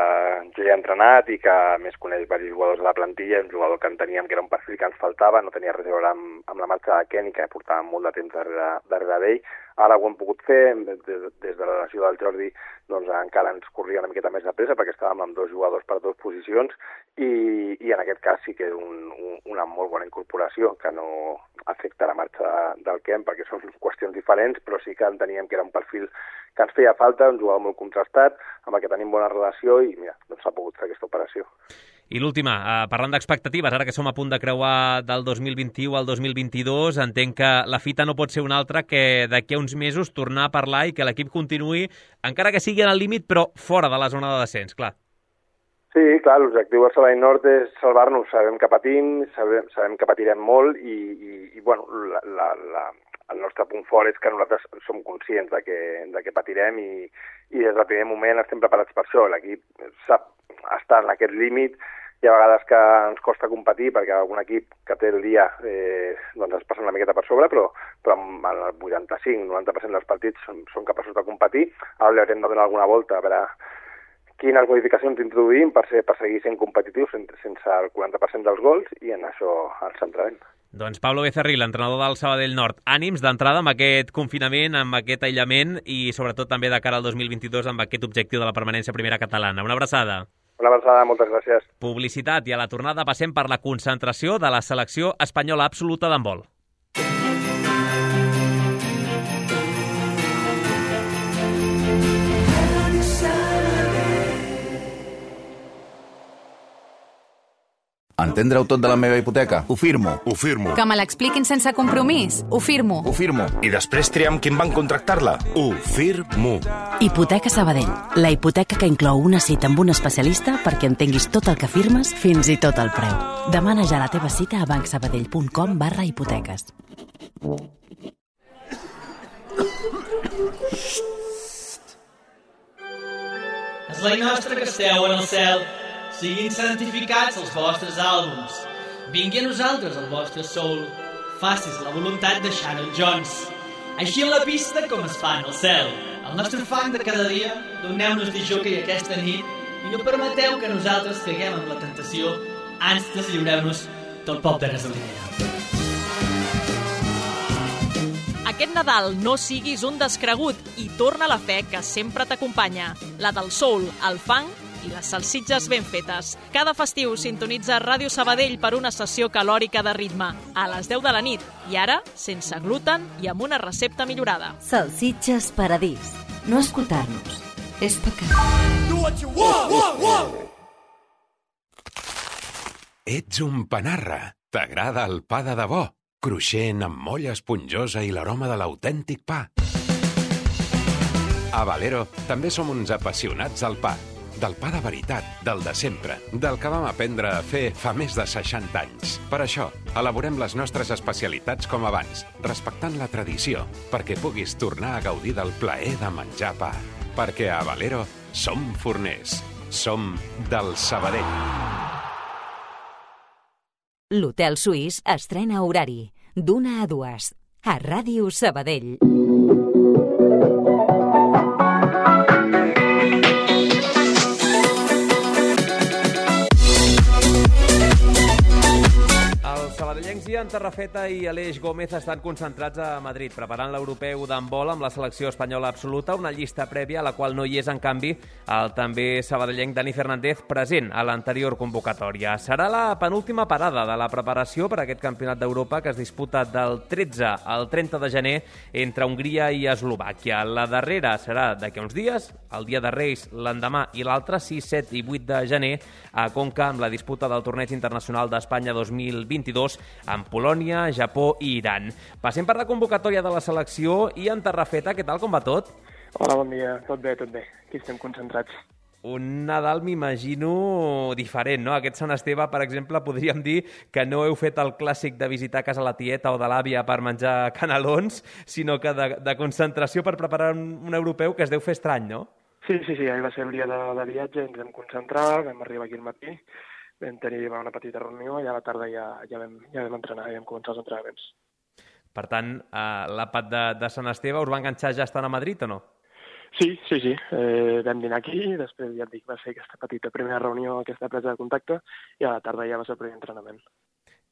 jo ja he entrenat i que més coneix diversos jugadors de la plantilla. És un jugador que enteníem que era un perfil que ens faltava, no tenia res a veure amb, amb la marxa de Ken, i que portàvem molt de temps darrere, darrere d'ell. Ara ho hem pogut fer, des, des de la lesió del Jordi, doncs encara ens corria una miqueta més de pressa perquè estàvem amb dos jugadors per dues posicions, i, i en aquest cas sí que és un, un, una molt bona incorporació que no afecta la marxa de, del Ken, perquè són qüestions diferents, però sí que enteníem que era un perfil que ens feia falta, un jugador molt contrastat, amb el que tenim bona relació, i mira, doncs s'ha pogut fer aquesta operació. I l'última, eh, parlant d'expectatives, ara que som a punt de creuar del dos mil vint-i-u al dos mil vint-i-dos, entenc que la fita no pot ser una altra que d'aquí a uns mesos tornar a parlar i que l'equip continuï, encara que sigui en el límit, però fora de la zona de descens, clar. Sí, clar, l'objectiu del Sabadell Nord és salvar-nos. Sabem que patim, sabem, sabem que patirem molt, i, i, i bueno, la, la, la, el nostre punt fort és que nosaltres som conscients de que, de que patirem, i, i des del primer moment estem preparats per això. L'equip sap estar en aquest límit. Hi ha vegades que ens costa competir perquè algun equip que té el dia eh, doncs es passa una miqueta per sobre, però, però amb el vuitanta-cinc noranta per cent dels partits són, són capaços de competir. Ara li haurem de donar alguna volta a veure quines modificacions introduïm per, ser, per seguir sent competitius sense, sense el quaranta per cent dels gols, i en això ens centrarem. Doncs Pablo Becerril, entrenador del Sabadell Nord. Ànims d'entrada amb aquest confinament, amb aquest aïllament, i sobretot també de cara al dos mil vint-i-dos amb aquest objectiu de la permanència primera catalana. Una abraçada. Una abraçada, moltes gràcies. Publicitat, i a la tornada passem per la concentració de la selecció espanyola absoluta d'handbol. Entendre-ho tot de la meva hipoteca? Ho firmo. Ho firmo. Que me l'expliquin sense compromís? Ho firmo. Ho firmo. I després triam qui em van contractar-la? Ho firmo. Hipoteca Sabadell. La hipoteca que inclou una cita amb un especialista perquè entenguis tot el que firmes, fins i tot el preu. Demana ja la teva cita a bancsabadell punt com barra hipoteques. és la nostra que esteu en el cel. Siguin santificats els vostres àlbums. Vingui a nosaltres el vostre soul. Facis la voluntat de Shannon Jones. Així en la pista com es fa en el cel. El nostre fang de cada dia, doneu-nos de jockey aquesta nit i no permeteu que nosaltres caiguem en la tentació. Ans deslliureu-nos del pop de gasolina. Aquest Nadal no siguis un descregut i torna la fe que sempre t'acompanya. La del soul, el funk i les salsitxes ben fetes. Cada festiu sintonitza Ràdio Sabadell per una sessió calòrica de ritme, a les deu de la nit, i ara sense gluten i amb una recepta millorada. Salsitxes Paradís. No escoltar-nos és pecat. Do what you want, want, want. Ets un panarra. T'agrada el pa de debò? Cruixent, amb molla esponjosa i l'aroma de l'autèntic pa. A Valero també som uns apassionats del pa. Del pa de veritat, del de sempre, del que vam aprendre a fer fa més de seixanta anys. Per això, elaborem les nostres especialitats com abans, respectant la tradició, perquè puguis tornar a gaudir del plaer de menjar pa. Perquè a Valero som forners. Som del Sabadell. L'Hotel Suís estrena horari, d'una a dues, a Ràdio Sabadell. Sabadellencs i en Tarrafeta i Aleix Gómez estan concentrats a Madrid, preparant l'europeu d'handbol amb la selecció espanyola absoluta, una llista prèvia a la qual no hi és, en canvi, el també sabadellenc Dani Fernández, present a l'anterior convocatòria. Serà la penúltima parada de la preparació per a aquest campionat d'Europa que es disputa del tretze al trenta de gener entre Hongria i Eslovàquia. La darrera serà d'aquí uns dies, el dia de Reis l'endemà i l'altre, sis, set i vuit de gener, a Conca, amb la disputa del Torneig Internacional d'Espanya dos mil vint-i-dos amb Polònia, Japó i Iran. Passem per la convocatòria de la selecció i en Tarrafeta, què tal, com va tot? Hola, bon dia. Tot bé, tot bé. Aquí estem concentrats. Un Nadal, m'imagino, diferent, no? Aquest Sant Esteve, per exemple, podríem dir que no heu fet el clàssic de visitar casa la tieta o de l'àvia per menjar canelons, sinó que de, de concentració per preparar un, un europeu que es deu fer estrany, no? Sí, sí, sí, ahir va ser el dia de, de viatge, ens vam concentrar, vam arribar aquí al matí, vam tenir una petita reunió i a la tarda ja, ja, vam, ja vam entrenar, ja vam començar els entrenaments. Per tant, eh, l'àpat de, de Sant Esteve us va enganxar ja estant a Madrid o no? Sí, sí, sí. Eh, vam dinar aquí, després ja et dic, va ser aquesta petita primera reunió, aquesta presa de contacte, i a la tarda ja va ser el primer entrenament.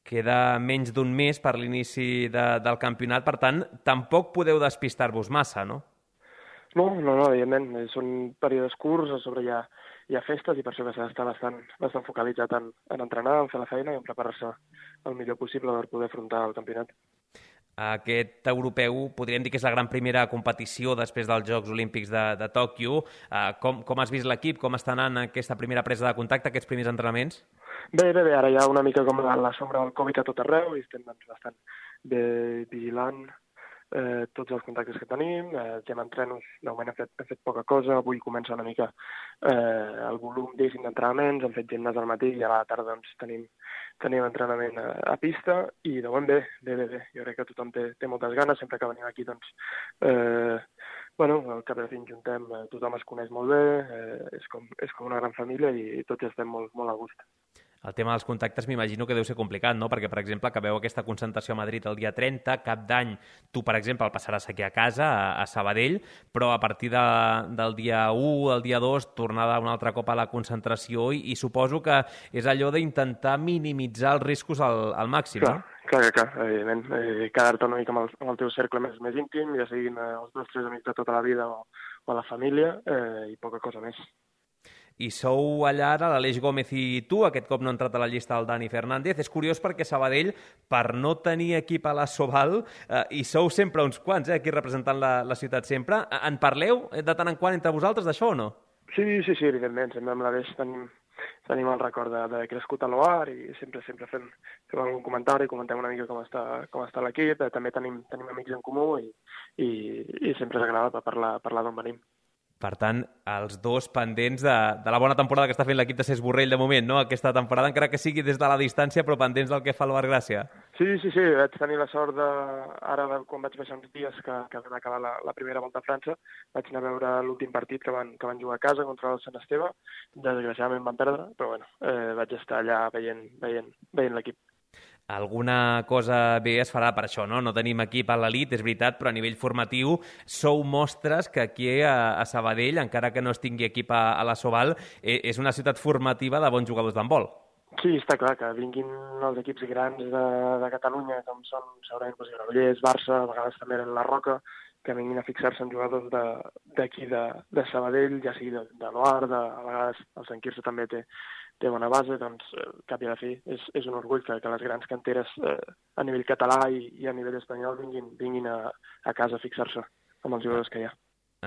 Queda menys d'un mes per l'inici de, del campionat, per tant, tampoc podeu despistar-vos massa, no? No, no, no, evidentment. Són períodes curts, a sobre hi ha, hi ha festes i per això que s'ha d'estar bastant, bastant focalitzat en, en entrenar, en fer la feina i en preparar-se el millor possible per poder afrontar el campionat. Aquest europeu podríem dir que és la gran primera competició després dels Jocs Olímpics de, de Tòquio. Uh, com, com has vist l'equip? Com està anant aquesta primera presa de contacte, aquests primers entrenaments? Bé, bé, bé. Ara hi ha una mica com la sombra del Covid a tot arreu i estem doncs, bastant bé vigilant eh, tots els contactes que tenim. Eh, el tema entrenos, de moment hem fet, hem fet poca cosa. Avui comença una mica eh, el volum d'entrenaments. Hem fet gimnàs al matí i a la tarda doncs, tenim tenim entrenament a, a pista i de moment bé, bé, bé, bé. Jo crec que tothom té, té moltes ganes, sempre que venim aquí, doncs, eh, bueno, al cap de fin juntem, eh, tothom es coneix molt bé, eh, és, com, és com una gran família i tots estem molt, molt a gust. El tema dels contactes m'imagino que deu ser complicat, no? Perquè, per exemple, acabeu aquesta concentració a Madrid el dia trenta, cap d'any tu, per exemple, el passaràs aquí a casa, a, a Sabadell, però a partir de, del dia u, el dia dos, tornada un altre cop a la concentració i, i suposo que és allò d'intentar minimitzar els riscos al, al màxim, clar, no? Clar, clar, clar, evidentment. Eh, quedar-te una mica amb el, amb el teu cercle més, més íntim, ja siguin eh, els dos tres amics de tota la vida o, o la família, eh, i poca cosa més. I sou allà ara, l'Aleix Gómez i tu, aquest cop no ha entrat a la llista del Dani Fernández. És curiós perquè Sabadell, per no tenir equip a la Sobal, eh, i sou sempre uns quants, eh, aquí representant la, la ciutat sempre. En parleu de tant en quant entre vosaltres d'això o no? Sí, sí, sí, evidentment. Sempre amb l'Aleix tenim, tenim el record d'haver crescut a l'Oar i sempre sempre fem, fem algun comentari, comentem una mica com està, com està l'equip. També tenim, tenim amics en comú i, i, i sempre ens agrada parlar, parlar d'on venim. Per tant, els dos pendents de, de la bona temporada que està fent l'equip de Cesc Borrell de moment, no? Aquesta temporada, encara que sigui des de la distància, però pendents del que fa el Bargràcia. Sí, sí, sí, vaig tenir la sort de, ara quan vaig baixar uns dies que, que vam acabar la, la primera volta a França, vaig anar a veure l'últim partit que van, que van jugar a casa contra el Sant Esteve, desgraciadament van perdre, però bueno, eh, vaig estar allà veient, veient, veient l'equip. Alguna cosa bé es farà per això, no? No tenim equip a l'elit, és veritat, però a nivell formatiu sou mostres que aquí a, a Sabadell, encara que no es tingui equip a, a la Soval, eh, és una ciutat formativa de bons jugadors d'handbol. Sí, està clar, que vinguin els equips grans de, de Catalunya, com són segurament doncs, Granollers, Barça, a vegades també la Roca, que vinguin a fixar-se en jugadors d'aquí de, de, de Sabadell, ja sigui de, de l'Oar, de, a vegades el Sant Quirze també té, té bona base, doncs eh, cap i a la fi és, és un orgull que, que les grans canteres eh, a nivell català i, i a nivell espanyol vinguin, vinguin a, a casa a fixar-se amb els jugadors que hi ha.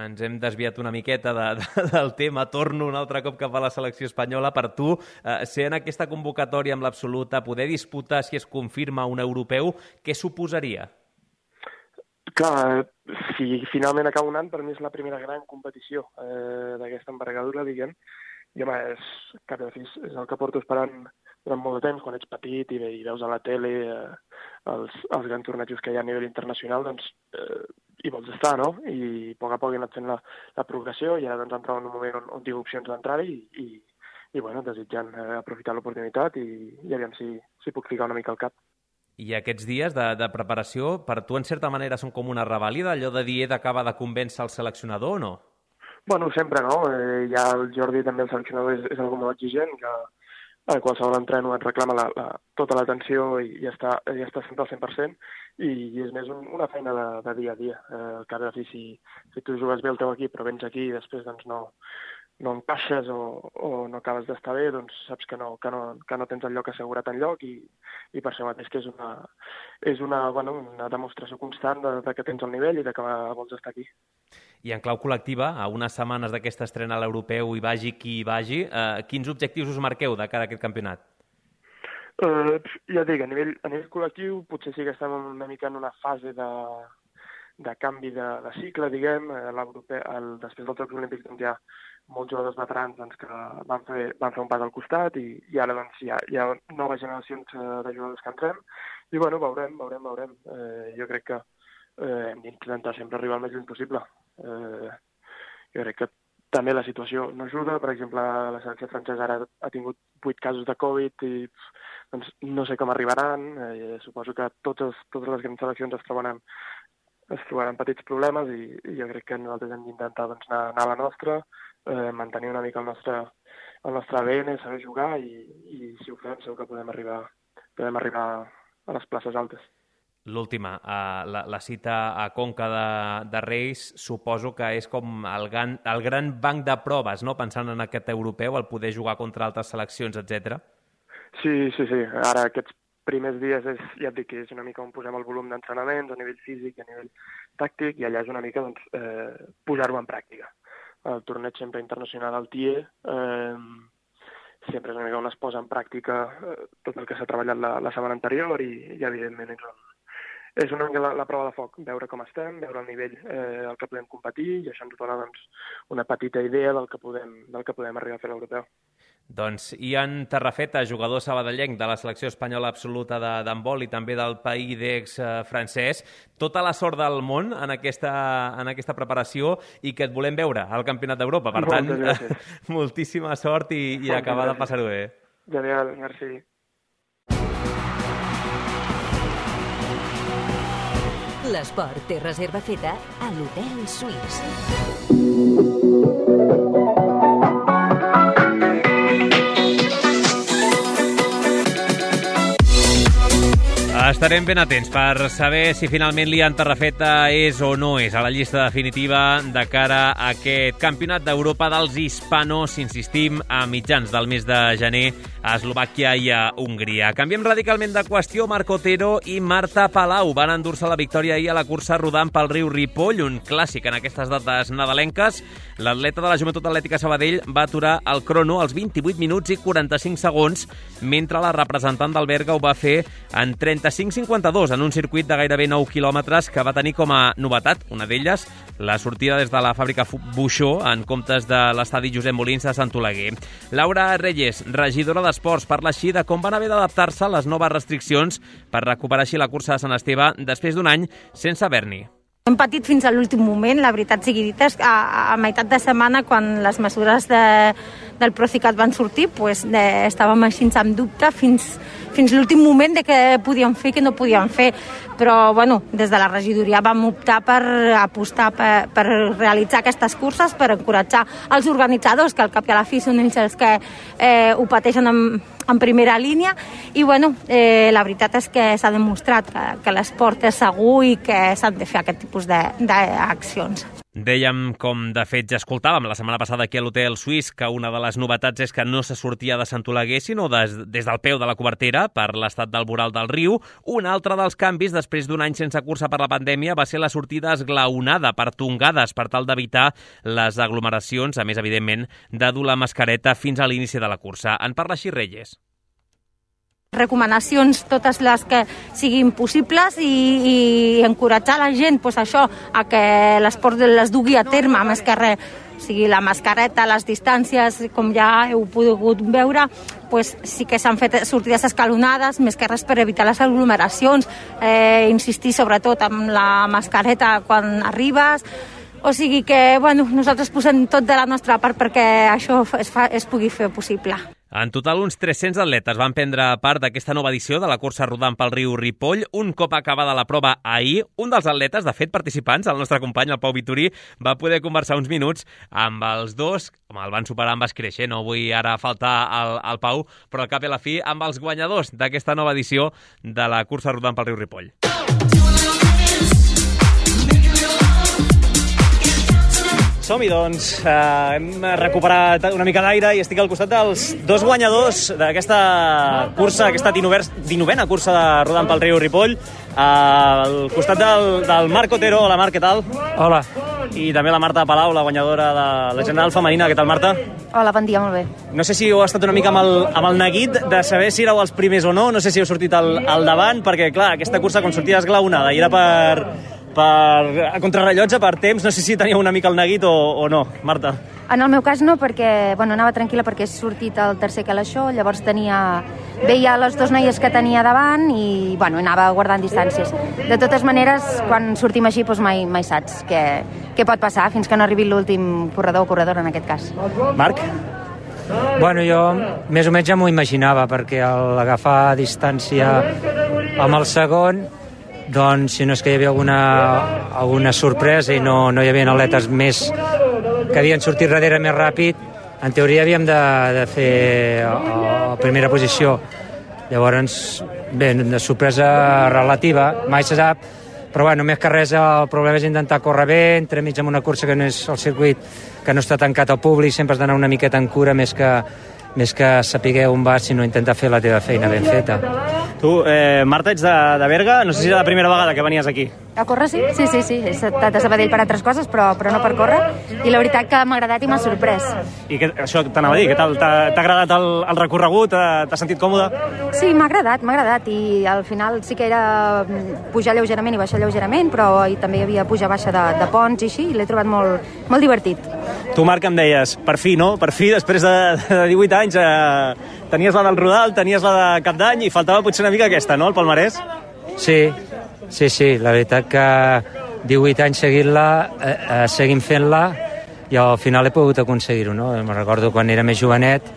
Ens hem desviat una miqueta de, de, del tema. Torno un altre cop cap a la selecció espanyola. Per tu, eh, ser en aquesta convocatòria amb l'absoluta, poder disputar, si es confirma, un europeu, què suposaria? Clar, si finalment acaba un any, per mi és la primera gran competició eh, d'aquesta envergadura, diguem. I home, és, cap i a la fi, és el que porto esperant durant molt de temps, quan ets petit i, i veus a la tele eh, els, els grans tornejos que hi ha a nivell internacional, doncs eh, hi vols estar, no? I a poc a poc he anat fent la, la progressió i ara doncs entrar en un moment on, on tinc opcions d'entrar i, i, i bueno, desitjant eh, aprofitar l'oportunitat i, i aviam si, si puc ficar una mica al cap. I aquests dies de, de preparació, per tu en certa manera són com una revàlida, allò de dir he d'acabar de convèncer el seleccionador o no? Bueno, sempre no. Eh, ja el Jordi, també el seleccionador, és, és algú molt exigent, que a qualsevol entreno et reclama la, la, tota l'atenció i, i està, i està sempre al cent per cent, i, i és més un, una feina de, de dia a dia. Eh, al cap i a la fi, si, si tu jugues bé el teu equip, però vens aquí i després doncs, no, no encaixes o, o no acabes d'estar bé, doncs saps que no, que no, que no tens el lloc assegurat enlloc i, i per això mateix que és una, és una, bueno, una demostració constant de, de que tens el nivell i de que vols estar aquí. I en clau col·lectiva, a unes setmanes d'aquesta estrena a l'europeu, hi vagi qui hi vagi, eh, quins objectius us marqueu de cara a aquest campionat? Uh, ja dic, a nivell, a nivell col·lectiu potser sí que estem una mica en una fase de, de canvi de, de cicle, diguem. El, després dels Jocs Olímpics doncs, hi ha molts jugadors veterans doncs, que van fer, van fer un pas al costat i, i ara doncs, hi, ha, hi ha noves generacions de jugadors que entrem i bueno, veurem, veurem, veurem. Eh, jo crec que eh, hem d'intentar sempre arribar el més lluny possible. Eh, jo crec que també la situació no ajuda. Per exemple, la selecció francesa ara ha tingut vuit casos de Covid i doncs, no sé com arribaran. Eh, suposo que totes, totes les grans seleccions es trobaran, es trobaran petits problemes i, i jo crec que nosaltres hem d'intentar doncs, anar, anar a la nostra, eh, mantenir una mica el nostre, el nostre A D N, saber jugar i, i si ho fem segur que podem arribar, podem arribar a les places altes. L'última, uh, la, la cita a Conca de, de Reis, suposo que és com el gran, el gran banc de proves, no? Pensant en aquest europeu, el poder jugar contra altres seleccions, etcètera. Sí, sí, sí. Ara aquests primers dies és, ja et dic que és una mica on posem el volum d'entrenaments a nivell físic i a nivell tàctic i allà és una mica doncs, eh, posar-ho en pràctica. El torneig sempre internacional al T I E eh, sempre és una mica on es posa en pràctica eh, tot el que s'ha treballat la, la setmana anterior i, i evidentment és on és una mica la, la prova de foc, veure com estem, veure el nivell eh, al que podem competir i això ens dona doncs, una petita idea del que podem, del que podem arribar a fer a l'europeu. Doncs Ian Tarrafeta, jugador sabadellenc de la selecció espanyola absoluta d'handbol i també del Pays d'Aix eh, francès, tota la sort del món en aquesta, en aquesta preparació i que et volem veure al Campionat d'Europa. Per tant, moltíssima sort i, i acabar de passar-ho bé. Genial, merci. L'esport té reserva feta a l'Hotel Suís. Estarem ben atents per saber si finalment l'Ian Tarrafeta és o no és a la llista definitiva de cara a aquest Campionat d'Europa dels hispanos, insistim, a mitjans del mes de gener a Eslovàquia i a Hongria. Canviem radicalment de qüestió. Marc Otero i Marta Palau van endur-se la victòria ahir a la cursa rodant pel riu Ripoll, un clàssic en aquestes dates nadalenques. L'atleta de la Joventut Atlètica Sabadell va aturar el crono als vint-i-vuit minuts i quaranta-cinc segons, mentre la representant del Berga ho va fer en trenta-cinc cinc cinquanta-dos en un circuit de gairebé nou quilòmetres que va tenir com a novetat, una d'elles, la sortida des de la fàbrica Buixó en comptes de l'estadi Josep Molins de Sant Oleguer. Laura Reyes, regidora d'Esports, parla així de com van haver d'adaptar-se a les noves restriccions per recuperar així la cursa de Sant Esteve després d'un any sense haver-n'hi. Hem patit fins a l'últim moment, la veritat sigui dita, a, a meitat de setmana, quan les mesures de, del Procicat van sortir, pues, de, estàvem així amb dubte fins, fins l'últim moment de què podíem fer i què no podíem fer. Però, bueno, des de la regidoria vam optar per apostar per, per realitzar aquestes curses, per encoratjar els organitzadors, que al cap i a la fi són ells els que eh, ho pateixen en, en primera línia. I, bueno, eh, la veritat és que s'ha demostrat que, que l'esport és segur i que s'han de fer aquest tipus d'accions. Dèiem, com de fet ja escoltàvem la setmana passada aquí a l'Hotel Suís, que una de les novetats és que no se sortia de Sant Oleguer, sinó des, des del peu de la cobertera per l'estat del voral del riu. Un altre dels canvis, després d'un any sense cursa per la pandèmia, va ser la sortida esglaonada per tongades per tal d'evitar les aglomeracions, a més, evidentment, de dur la mascareta fins a l'inici de la cursa. En parla així Reyes. Recomanacions totes les que siguin possibles i, i encoratjar la gent, pues això, a que l'esport les dugui a terme, més que res. O sigui, la mascareta, les distàncies, com ja heu pogut veure, pues sí que s'han fet sortides escalonades, més que res per evitar les aglomeracions, eh, insistir sobretot amb la mascareta quan arribes. O sigui que, bueno, nosaltres posem tot de la nostra part perquè això es, fa, es pugui fer possible. En total, uns tres-cents atletes van prendre part d'aquesta nova edició de la cursa rodant pel riu Ripoll. Un cop acabada la prova ahir, un dels atletes, de fet participants, el nostre company, el Pau Vitorí, va poder conversar uns minuts amb els dos. Home, el van superar amb escreix, no vull ara faltar al, al Pau, però al cap i a la fi amb els guanyadors d'aquesta nova edició de la cursa rodant pel riu Ripoll. Som-hi, doncs. Uh, hem recuperat una mica d'aire i estic al costat dels dos guanyadors d'aquesta cursa, aquesta dinovena cursa de rodant pel riu Ripoll. Uh, al costat del, del Marc Otero. Hola, Marc, què tal? Hola. I també la Marta Palau, la guanyadora de la general femenina. Què tal, Marta? Hola, bon dia, molt bé. No sé si heu estat una mica amb el, amb el neguit de saber si éreu els primers o no, no sé si heu sortit al, al davant, perquè, clar, aquesta cursa, quan sortia esglaonada, i era per... per a contrarrellotge, per temps, no sé si teníeu una mica el neguit o, o no, Marta. En el meu cas no, perquè bueno, anava tranquil·la perquè he sortit al tercer calaixó, llavors tenia, veia les dues noies que tenia davant i bueno, anava guardant distàncies. De totes maneres, quan sortim així, doncs mai, mai saps què, què pot passar fins que no arribi l'últim corredor o corredora en aquest cas. Marc? Bueno, jo més o menys ja m'ho imaginava, perquè al agafar distància amb el segon, doncs si no és que hi havia alguna, alguna sorpresa i no, no hi havia atletes més que havien sortit darrere més ràpid, en teoria havíem de, de fer la primera posició. Llavors, bé, de sorpresa relativa, mai se sap, però bueno, més que res el problema és intentar córrer bé, entremig amb una cursa que no és el circuit, que no està tancat al públic, sempre has d'anar una miqueta en cura més que, més que saber on vas, sinó intentar fer la teva feina ben feta. Tu, eh, Marta, ets de, de Berga, no sé si és la primera vegada que venies aquí. A córrer, sí? Sí, sí, sí. He estat a Sabadell per altres coses, però, però no per córrer. I la veritat que m'ha agradat i m'ha sorprès. I que, això t'anava a dir, què tal? T'ha agradat el, el recorregut? T'has sentit còmode? Sí, m'ha agradat, m'ha agradat. I al final sí que era pujar lleugerament i baixar lleugerament, però i també hi havia pujar-baixa de, de ponts i així, i l'he trobat molt, molt divertit. Tu, Marc, em deies, per fi, no? Per fi, després de, de divuit anys, eh, tenies la del Rodal, tenies la de Cap d'Any i faltava potser una mica aquesta, no?, el palmarès? Sí, sí, sí, la veritat que divuit anys seguint-la, eh, eh, seguim fent-la i al final he pogut aconseguir-ho, no? Me'n recordo quan era més jovenet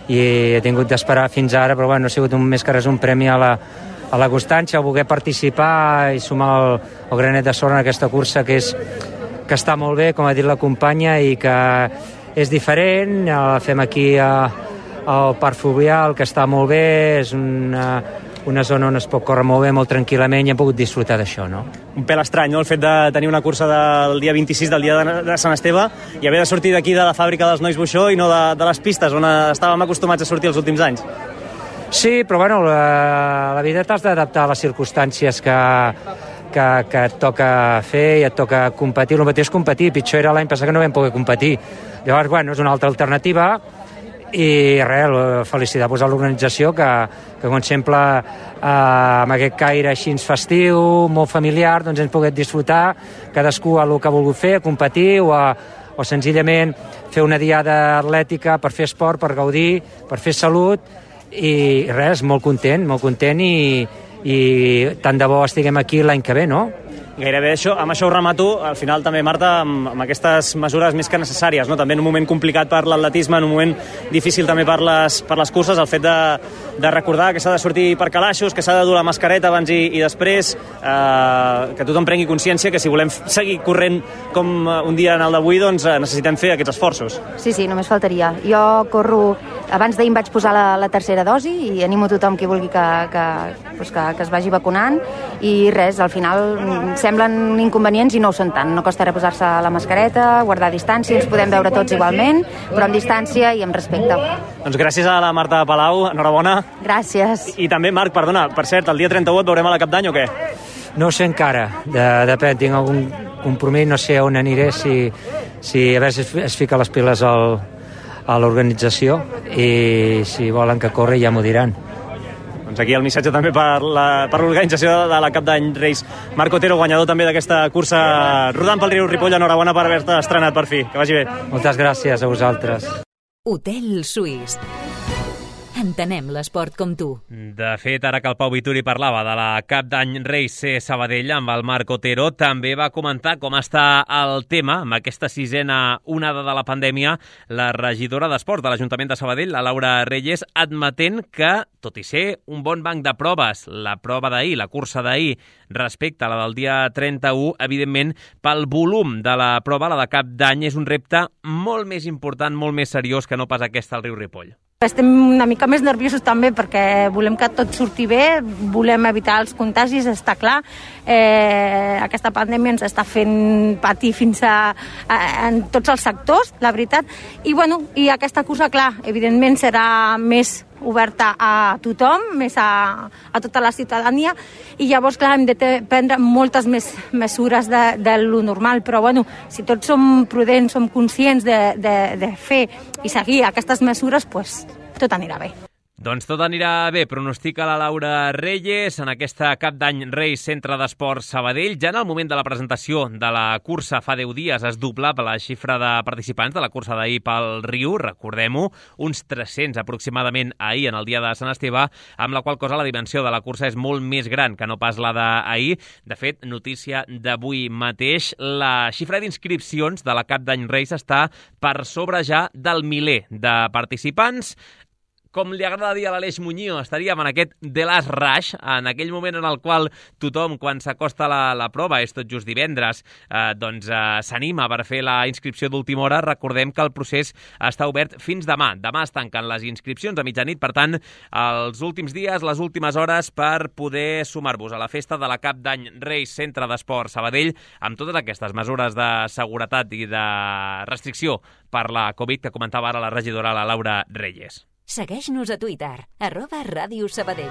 i he tingut d'esperar fins ara, però bueno, ha sigut un, més que res un premi a la, a la constància, a voler participar i sumar el, el granet de sorra en aquesta cursa que és que està molt bé, com ha dit la companya, i que és diferent, la fem aquí a, al Parc Fluvial, que està molt bé, és una, una zona on es pot córrer molt bé, molt tranquil·lament, i hem pogut disfrutar d'això, no? Un pèl estrany, no?, el fet de tenir una cursa del dia vint-i-sis, del dia de, de Sant Esteve, i haver de sortir d'aquí de la fàbrica dels Nois Buixó i no de, de les pistes, on estàvem acostumats a sortir els últims anys. Sí, però bueno, la, la vida t'has d'adaptar a les circumstàncies que, que, que et toca fer i et toca competir. El mateix competir, pitjor era l'any passat que no vam poder competir. Llavors, bueno, és una altra alternativa i res, felicitar pues, a l'organització que, que com sempre eh, amb aquest caire així festiu, molt familiar, doncs hem pogut disfrutar cadascú a el que ha volgut fer, competir o, a, o senzillament fer una diada atlètica per fer esport, per gaudir, per fer salut i res, molt content, molt content i, i tant de bo estiguem aquí l'any que ve, no? Gairebé això, amb això ho remato, al final també, Marta, amb, amb aquestes mesures més que necessàries, no? També en un moment complicat per l'atletisme, en un moment difícil també per les, per les curses, el fet de, de recordar que s'ha de sortir per calaixos, que s'ha de dur la mascareta abans i, i després, eh, que tothom prengui consciència que si volem seguir corrent com un dia en el d'avui, doncs eh, necessitem fer aquests esforços. Sí, sí, només faltaria. Jo corro, abans d'ahir em vaig posar la, la tercera dosi i animo tothom qui vulgui que, que, pues que, que es vagi vacunant i res, al final semblen inconvenients i no ho són tant. No costa reposar-se la mascareta, guardar distància, ens podem veure tots igualment, però amb distància i amb respecte. Doncs gràcies a la Marta Palau, enhorabona. Gràcies. I, i també, Marc, perdona, per cert, el dia trenta-u et veurem a la Cap d'Any o què? No ho sé encara, de, depèn, tinc algun compromís, no sé on aniré, si, si a veure si es, es fica les piles al, a l'organització i si volen que corri ja m'ho diran. Doncs aquí el missatge també per la, per l'organització de la Cap d'Any Reis. Marc Otero, guanyador també d'aquesta cursa rodant pel riu Ripoll, enhorabona per haver-te estrenat per fi. Que vagi bé. Moltes gràcies a vosaltres. Hotel Suís. Entenem l'esport com tu. De fet, ara que el Pau Vituri parlava de la Cap d'Any Reis C Sabadell amb el Marc Otero, també va comentar com està el tema amb aquesta sisena onada de la pandèmia, la regidora d'Esports de l'Ajuntament de Sabadell, la Laura Reyes, admetent que, tot i ser un bon banc de proves, la prova d'ahir, la cursa d'ahir, respecte a la del dia trenta-u, evidentment, pel volum de la prova, la de Cap d'Any, és un repte molt més important, molt més seriós que no pas aquesta al riu Ripoll. Estem una mica més nerviosos també perquè volem que tot surti bé, volem evitar els contagis, està clar. Eh, aquesta pandèmia ens està fent patir fins a, a, en tots els sectors, la veritat. I, bueno, i aquesta cursa, clar, evidentment serà més oberta a tothom, més a, a tota la ciutadania, i llavors, clar, hem de prendre moltes més mesures de, de lo normal, però, bueno, si tots som prudents, som conscients de, de, de fer i seguir aquestes mesures, pues, tot anirà bé. Doncs tot anirà bé, pronostica la Laura Reyes en aquesta Cap d'Any Reis Centre d'Esports Sabadell. Ja en el moment de la presentació de la cursa fa deu dies es doblava la xifra de participants de la cursa d'ahir pel riu, recordem-ho, uns tres-cents aproximadament ahir en el dia de Sant Esteve, amb la qual cosa la dimensió de la cursa és molt més gran que no pas la d'ahir. De fet, notícia d'avui mateix, la xifra d'inscripcions de la Cap d'Any Reis està per sobre ja del miler de participants. Com li agrada dir a l'Aleix Muñoz, estaríem en aquest The Last Rush, en aquell moment en el qual tothom, quan s'acosta la, la prova, és tot just divendres, eh, doncs eh, s'anima per fer la inscripció d'última hora. Recordem que el procés està obert fins demà. Demà es tanquen les inscripcions a mitjanit, per tant, els últims dies, les últimes hores per poder sumar-vos a la festa de la Cap d'Any Reis Centre d'Esports Sabadell, amb totes aquestes mesures de seguretat i de restricció per la Covid que comentava ara la regidora, la Laura Reyes. Segueix-nos a Twitter, arroba Ràdio Sabadell.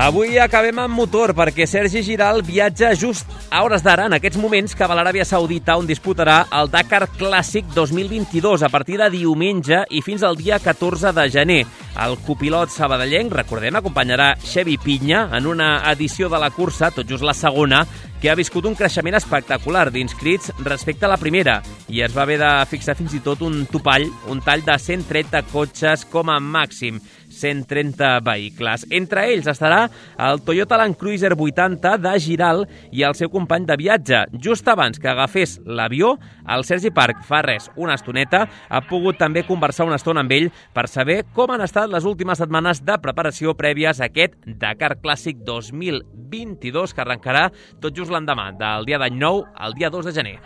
Avui acabem amb motor perquè Sergi Giral viatja just a hores d'ara, en aquests moments, cap a l'Aràbia Saudita, on disputarà el Dakar Clàssic dos mil vint-i-dos a partir de diumenge i fins al dia catorze de gener. El copilot sabadellenc, recordem, acompanyarà Xevi Pinya en una edició de la cursa, tot just la segona, que ha viscut un creixement espectacular d'inscrits respecte a la primera i es va haver de fixar fins i tot un topall, un tall de cent trenta cotxes com a màxim, cent trenta vehicles. Entre ells estarà el Toyota Land Cruiser vuitanta de Giral i el seu company de viatge. Just abans que agafés l'avió, el Sergi Parc, fa res, una estoneta, ha pogut també conversar una estona amb ell per saber com han estat les últimes setmanes de preparació prèvies a aquest Dakar Clàssic dos mil vint-i-dos que arrencarà tot just l'endemà, del dia d'any nou al dia dos de gener.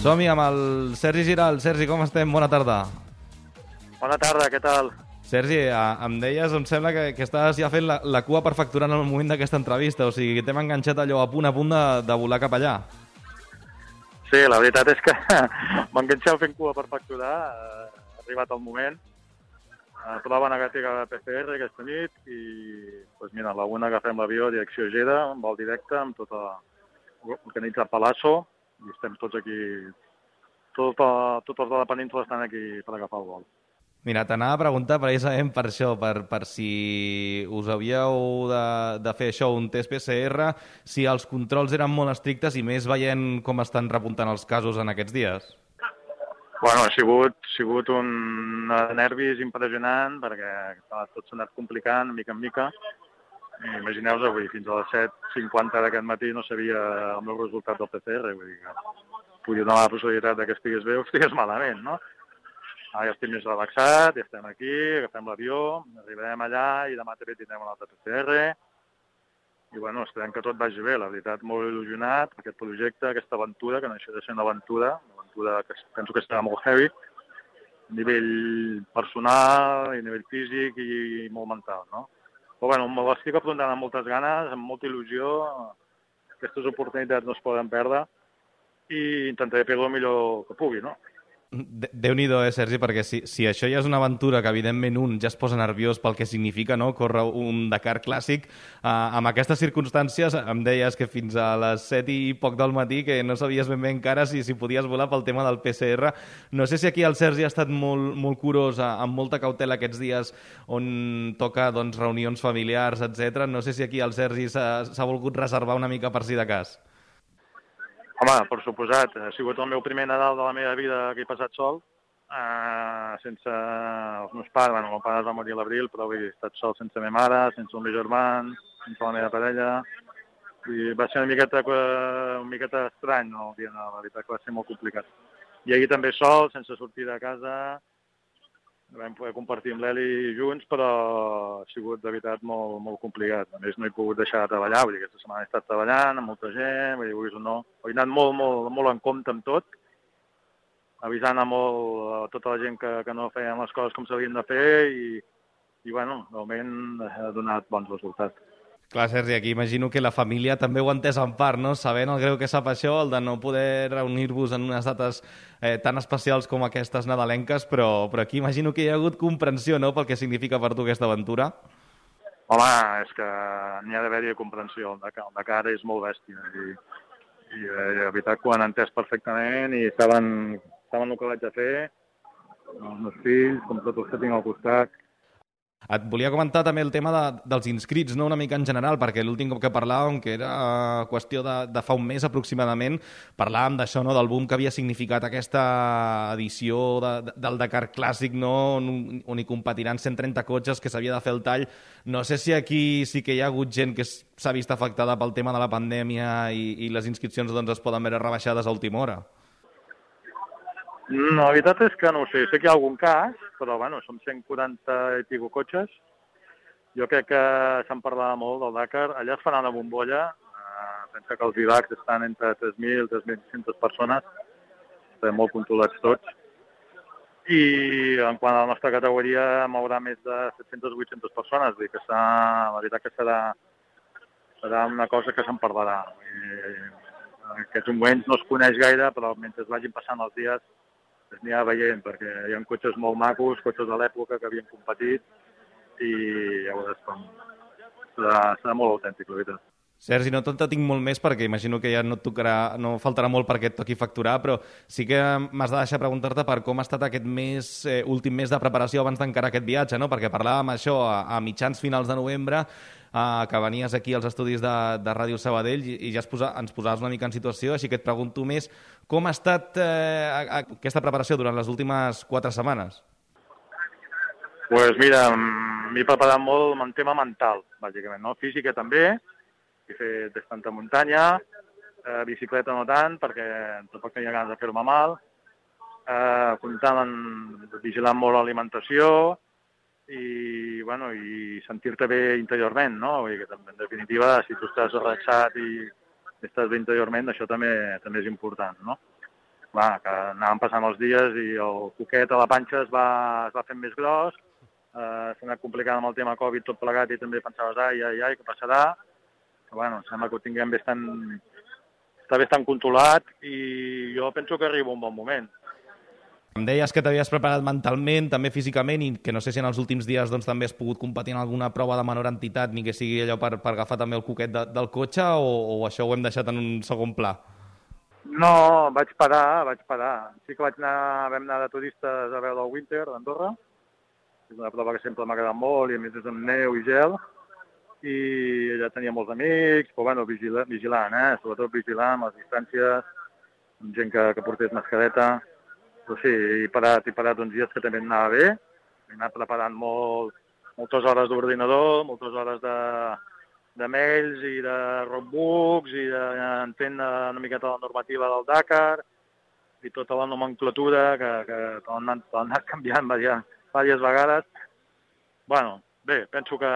Som-hi amb el Sergi Giral. Sergi, com estem? Bona tarda. Bona tarda, què tal? Sergi, em deies, em sembla que, que estàs ja fent la, la cua per facturar en el moment d'aquesta entrevista, o sigui, que t'hem enganxat allò a punt a punt de, de volar cap allà. Sí, la veritat és que m'enganxeu fent cua per facturar, ha arribat el moment. Uh, prova negativa de P C R aquesta nit i, doncs mira, a la una agafem l'avió direcció Gera, amb vol directe, amb tot organitzat per l'A S O, i estem tots aquí, tot, tots els de la península estan aquí per agafar el vol. Mira, t'anava a preguntar precisament per això, per, per si us havíeu de, de fer això, un test P C R, si els controls eren molt estrictes i més veient com estan repuntant els casos en aquests dies. Bueno, ha sigut, ha sigut un nervis impressionant perquè tot s'ha anat complicant mica en mica. Imagineu-vos, avui fins a les set cinquanta d'aquest matí no sabia el meu resultat del P C R, vull dir que podia donar la possibilitat que estigués bé o estigués malament, no? Ara ja estic més relaxat, ja estem aquí, agafem l'avió, arribarem allà i demà també tindrem un altre P C R. I bueno, esperem que tot vagi bé, la veritat, molt il·lusionat per aquest projecte, aquesta aventura, que no deixa de ser una aventura, una aventura que penso que estarà molt heavy, a nivell personal, a nivell físic i molt mental, no? Però bueno, me l'estic afrontant amb moltes ganes, amb molta il·lusió, aquestes oportunitats no es poden perdre i intentaré fer-ho el millor que pugui, no? Déu-n'hi-do, eh, Sergi, perquè si, si això ja és una aventura que evidentment un ja es posa nerviós pel que significa, no?, córrer un Dakar clàssic, eh, amb aquestes circumstàncies em deies que fins a les set i poc del matí que no sabies ben bé encara si, si podies volar pel tema del P C R. No sé si aquí el Sergi ha estat molt, molt curós, amb molta cautela aquests dies on toca doncs, reunions familiars, etcètera. No sé si aquí el Sergi s'ha volgut reservar una mica per si de cas. Home, per suposat, ha sigut el meu primer Nadal de la meva vida que he passat sol, eh, sense els meus pares. Bueno, el meu pare es va morir a l'abril, però he estat sol sense la meva mare, sense el meu germà, sense la meva parella. I va ser una miqueta, una miqueta estrany, no, el dia de la veritat, que va ser molt complicat. I ahir també sol, sense sortir de casa, vam poder compartir amb l'Eli junts, però ha sigut de veritat molt, molt complicat. A més, no he pogut deixar de treballar, vull dir, aquesta setmana he estat treballant amb molta gent, vull dir, vulguis o no. He anat molt, molt, molt en compte amb tot, avisant a, molt, a tota la gent que, que no feien les coses com s'havien de fer i, i bueno, realment ha donat bons resultats. Clar, Sergi, aquí imagino que la família també ho ha entès en part, no? Sabent el greu que sap això, el de no poder reunir-vos en unes dates eh, tan especials com aquestes nadalenques, però, però aquí imagino que hi ha hagut comprensió, no?, pel que significa per tu aquesta aventura. Home, és que n'hi ha d'haver-hi comprensió. El Dakar, el Dakar és molt bèstia i, i eh, la veritat que ho han entès perfectament i saben, saben el que vaig a fer, els meus fills, com tots els que tinc al costat. Et volia comentar també el tema de, dels inscrits, no?, una mica en general, perquè l'últim cop que parlàvem, que era qüestió de, de fa un mes aproximadament, parlàvem d'això, no?, del boom que havia significat aquesta edició de, de, del Dakar Clàssic, no?, on, on hi competiran cent trenta cotxes, que s'havia de fer el tall. No sé si aquí sí que hi ha hagut gent que s'ha vist afectada pel tema de la pandèmia i, i les inscripcions doncs, es poden veure rebaixades a última hora. No, la veritat és que no ho sé. Sé que hi ha algun cas, però bueno, som cent quaranta i pico cotxes. Jo crec que se'n parlava molt del Dakar. Allà es farà una bombolla. Uh, pensa que els I V A Cs estan entre tres mil i tres mil cinc-centes persones. Estem molt controlats tots. I en quant a la nostra categoria mourà més de set-centes o vuit-centes persones. Vull dir que serà, la veritat que serà, serà una cosa que se'n parlarà. I, en aquests moments no es coneix gaire, però mentre vagin passant els dies es anirà veient, perquè hi ha cotxes molt macos, cotxes de l'època que havien competit, i ja veuràs com serà, serà molt autèntic, la veritat. Sergi, no t'entenc molt més perquè imagino que ja no et tocarà, no faltarà molt perquè et toqui facturar, però sí que m'has de deixar preguntar-te per com ha estat aquest mes, eh, últim mes de preparació abans d'encarar aquest viatge, no? Perquè parlàvem això a, a mitjans finals de novembre, eh, que venies aquí als estudis de, de Ràdio Sabadell i, i ja es posa, ens posaves una mica en situació, així que et pregunto més com ha estat eh, aquesta preparació durant les últimes quatre setmanes? Doncs pues mira, m'he preparat molt en tema mental, bàsicament, no? Física també. He fet bastanta muntanya, eh, bicicleta no tant, perquè tampoc tenia ganes de fer-me mal, eh, comptant en vigilant molt l'alimentació i, bueno, i sentir-te bé interiorment, no? Vull dir que, en definitiva, si tu estàs relaxat i estàs bé interiorment, això també també és important, no? Clar, que anàvem passant els dies i el coquet a la panxa es va, es va fent més gros, eh, s'ha anat complicant amb el tema Covid tot plegat i també pensaves, ai, ai, ai, què passarà? Bueno, sembla que ho tinguem bastant, està bastant controlat i jo penso que arriba un bon moment. Em deies que t'havies preparat mentalment, també físicament, i que no sé si en els últims dies doncs, també has pogut competir en alguna prova de menor entitat, ni que sigui allò per, per agafar també el coquet de, del cotxe, o, o això ho hem deixat en un segon pla? No, vaig parar, vaig parar. Sí que vaig anar, vam anar de turistes a veure el Winter d'Andorra. És una prova que sempre m'ha agradat molt, i a més és amb neu i gel. I allà tenia molts amics, però bueno, vigila, vigilant, eh? Sobretot vigilant les distàncies, amb gent que, que portés mascareta. Però sí, he parat, he parat uns dies que també anava bé. He anat preparant molt, moltes hores d'ordinador, moltes hores de, de mails i de roadbooks i d'entendre una miqueta la normativa del Dakar i tota la nomenclatura que, que t'han anat, anat canviant diverses vegades. Bueno, bé, penso que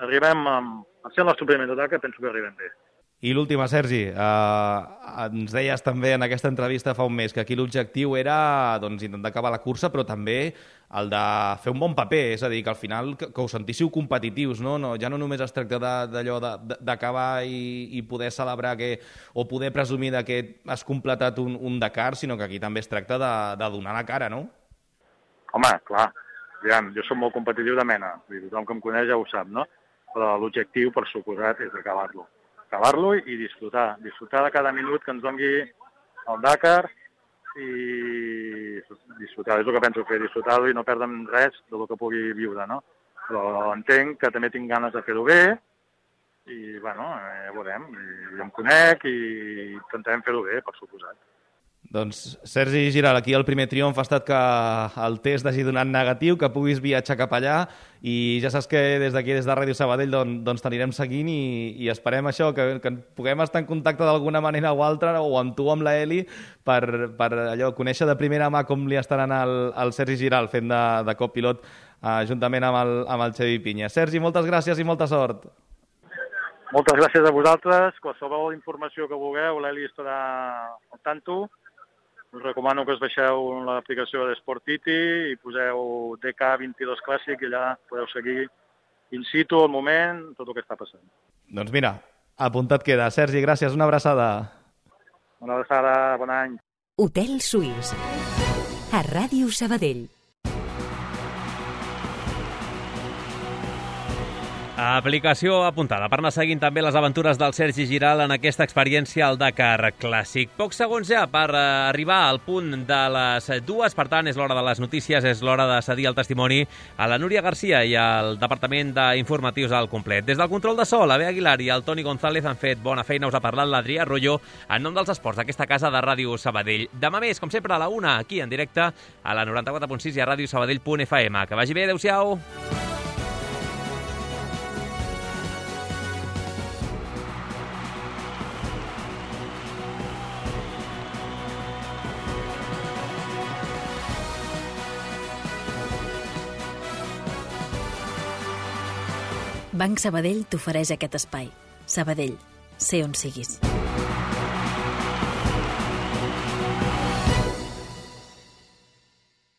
arribem, amb, al ser el nostre primer Dakar, penso que arribem bé. I l'última, Sergi, eh, ens deies també en aquesta entrevista fa un mes que aquí l'objectiu era doncs, intentar acabar la cursa, però també el de fer un bon paper, és a dir, que al final que, que us sentíssiu competitius, no? No, ja no només es tracta d'allò d'acabar i, i poder celebrar que, o poder presumir de que has completat un, un Dakar, sinó que aquí també es tracta de, de donar la cara, no? Home, clar, aviam, jo soc molt competitiu de mena, tothom que em coneix ja ho sap, no? Però l'objectiu, per suposat, és acabar-lo. acabar-lo i disfrutar, disfrutar de cada minut que ens dongui el Dakar i disfrutar, és el que penso fer, disfrutar-lo i no perdre'm res del que pugui viure, no? Però entenc que també tinc ganes de fer-ho bé i, bueno, ja veurem, i em conec i intentarem fer-ho bé, per suposat. Doncs, Sergi Giral, aquí el primer triomf ha estat que el test hagi donat negatiu, que puguis viatjar cap allà, i ja saps que des d'aquí, des de Ràdio Sabadell, doncs, doncs t'anirem seguint i, i esperem això, que, que puguem estar en contacte d'alguna manera o altra, o amb tu o amb la Eli, per, per allò, conèixer de primera mà com li estarà anant el, el Sergi Giral fent de, de copilot eh, juntament amb el, amb el Xavi Pinya. Sergi, moltes gràcies i molta sort. Moltes gràcies a vosaltres. Qualsevol informació que vulgueu, l'Eli estarà al tanto. Us recomano que us baixeu l'aplicació de Sportiti i poseu D K vint-i-dos Clàssic i allà podeu seguir in situ, al moment, tot el que està passant. Doncs mira, apuntat queda. Sergi, gràcies, una abraçada. Una abraçada, bon any. Hotel Suís, a Ràdio Sabadell. Aplicació apuntada per anar seguint també les aventures del Sergi Giral en aquesta experiència al Dakar Clàssic. Pocs segons ja per arribar al punt de les dues, per tant és l'hora de les notícies, és l'hora de cedir el testimoni a la Núria Garcia i al Departament d'Informatius al complet. Des del control de so, la Bea Aguilar i el Toni González han fet bona feina, us ha parlat l'Adrià Arroyo en nom dels esports d'aquesta casa de Ràdio Sabadell. Demà més, com sempre, a la una, aquí en directe a la noranta-quatre punt sis i a ràdio sabadell punt f m. Que vagi bé, adeu-siau! Banc Sabadell t'ofereix aquest espai. Sabadell, sé on siguis.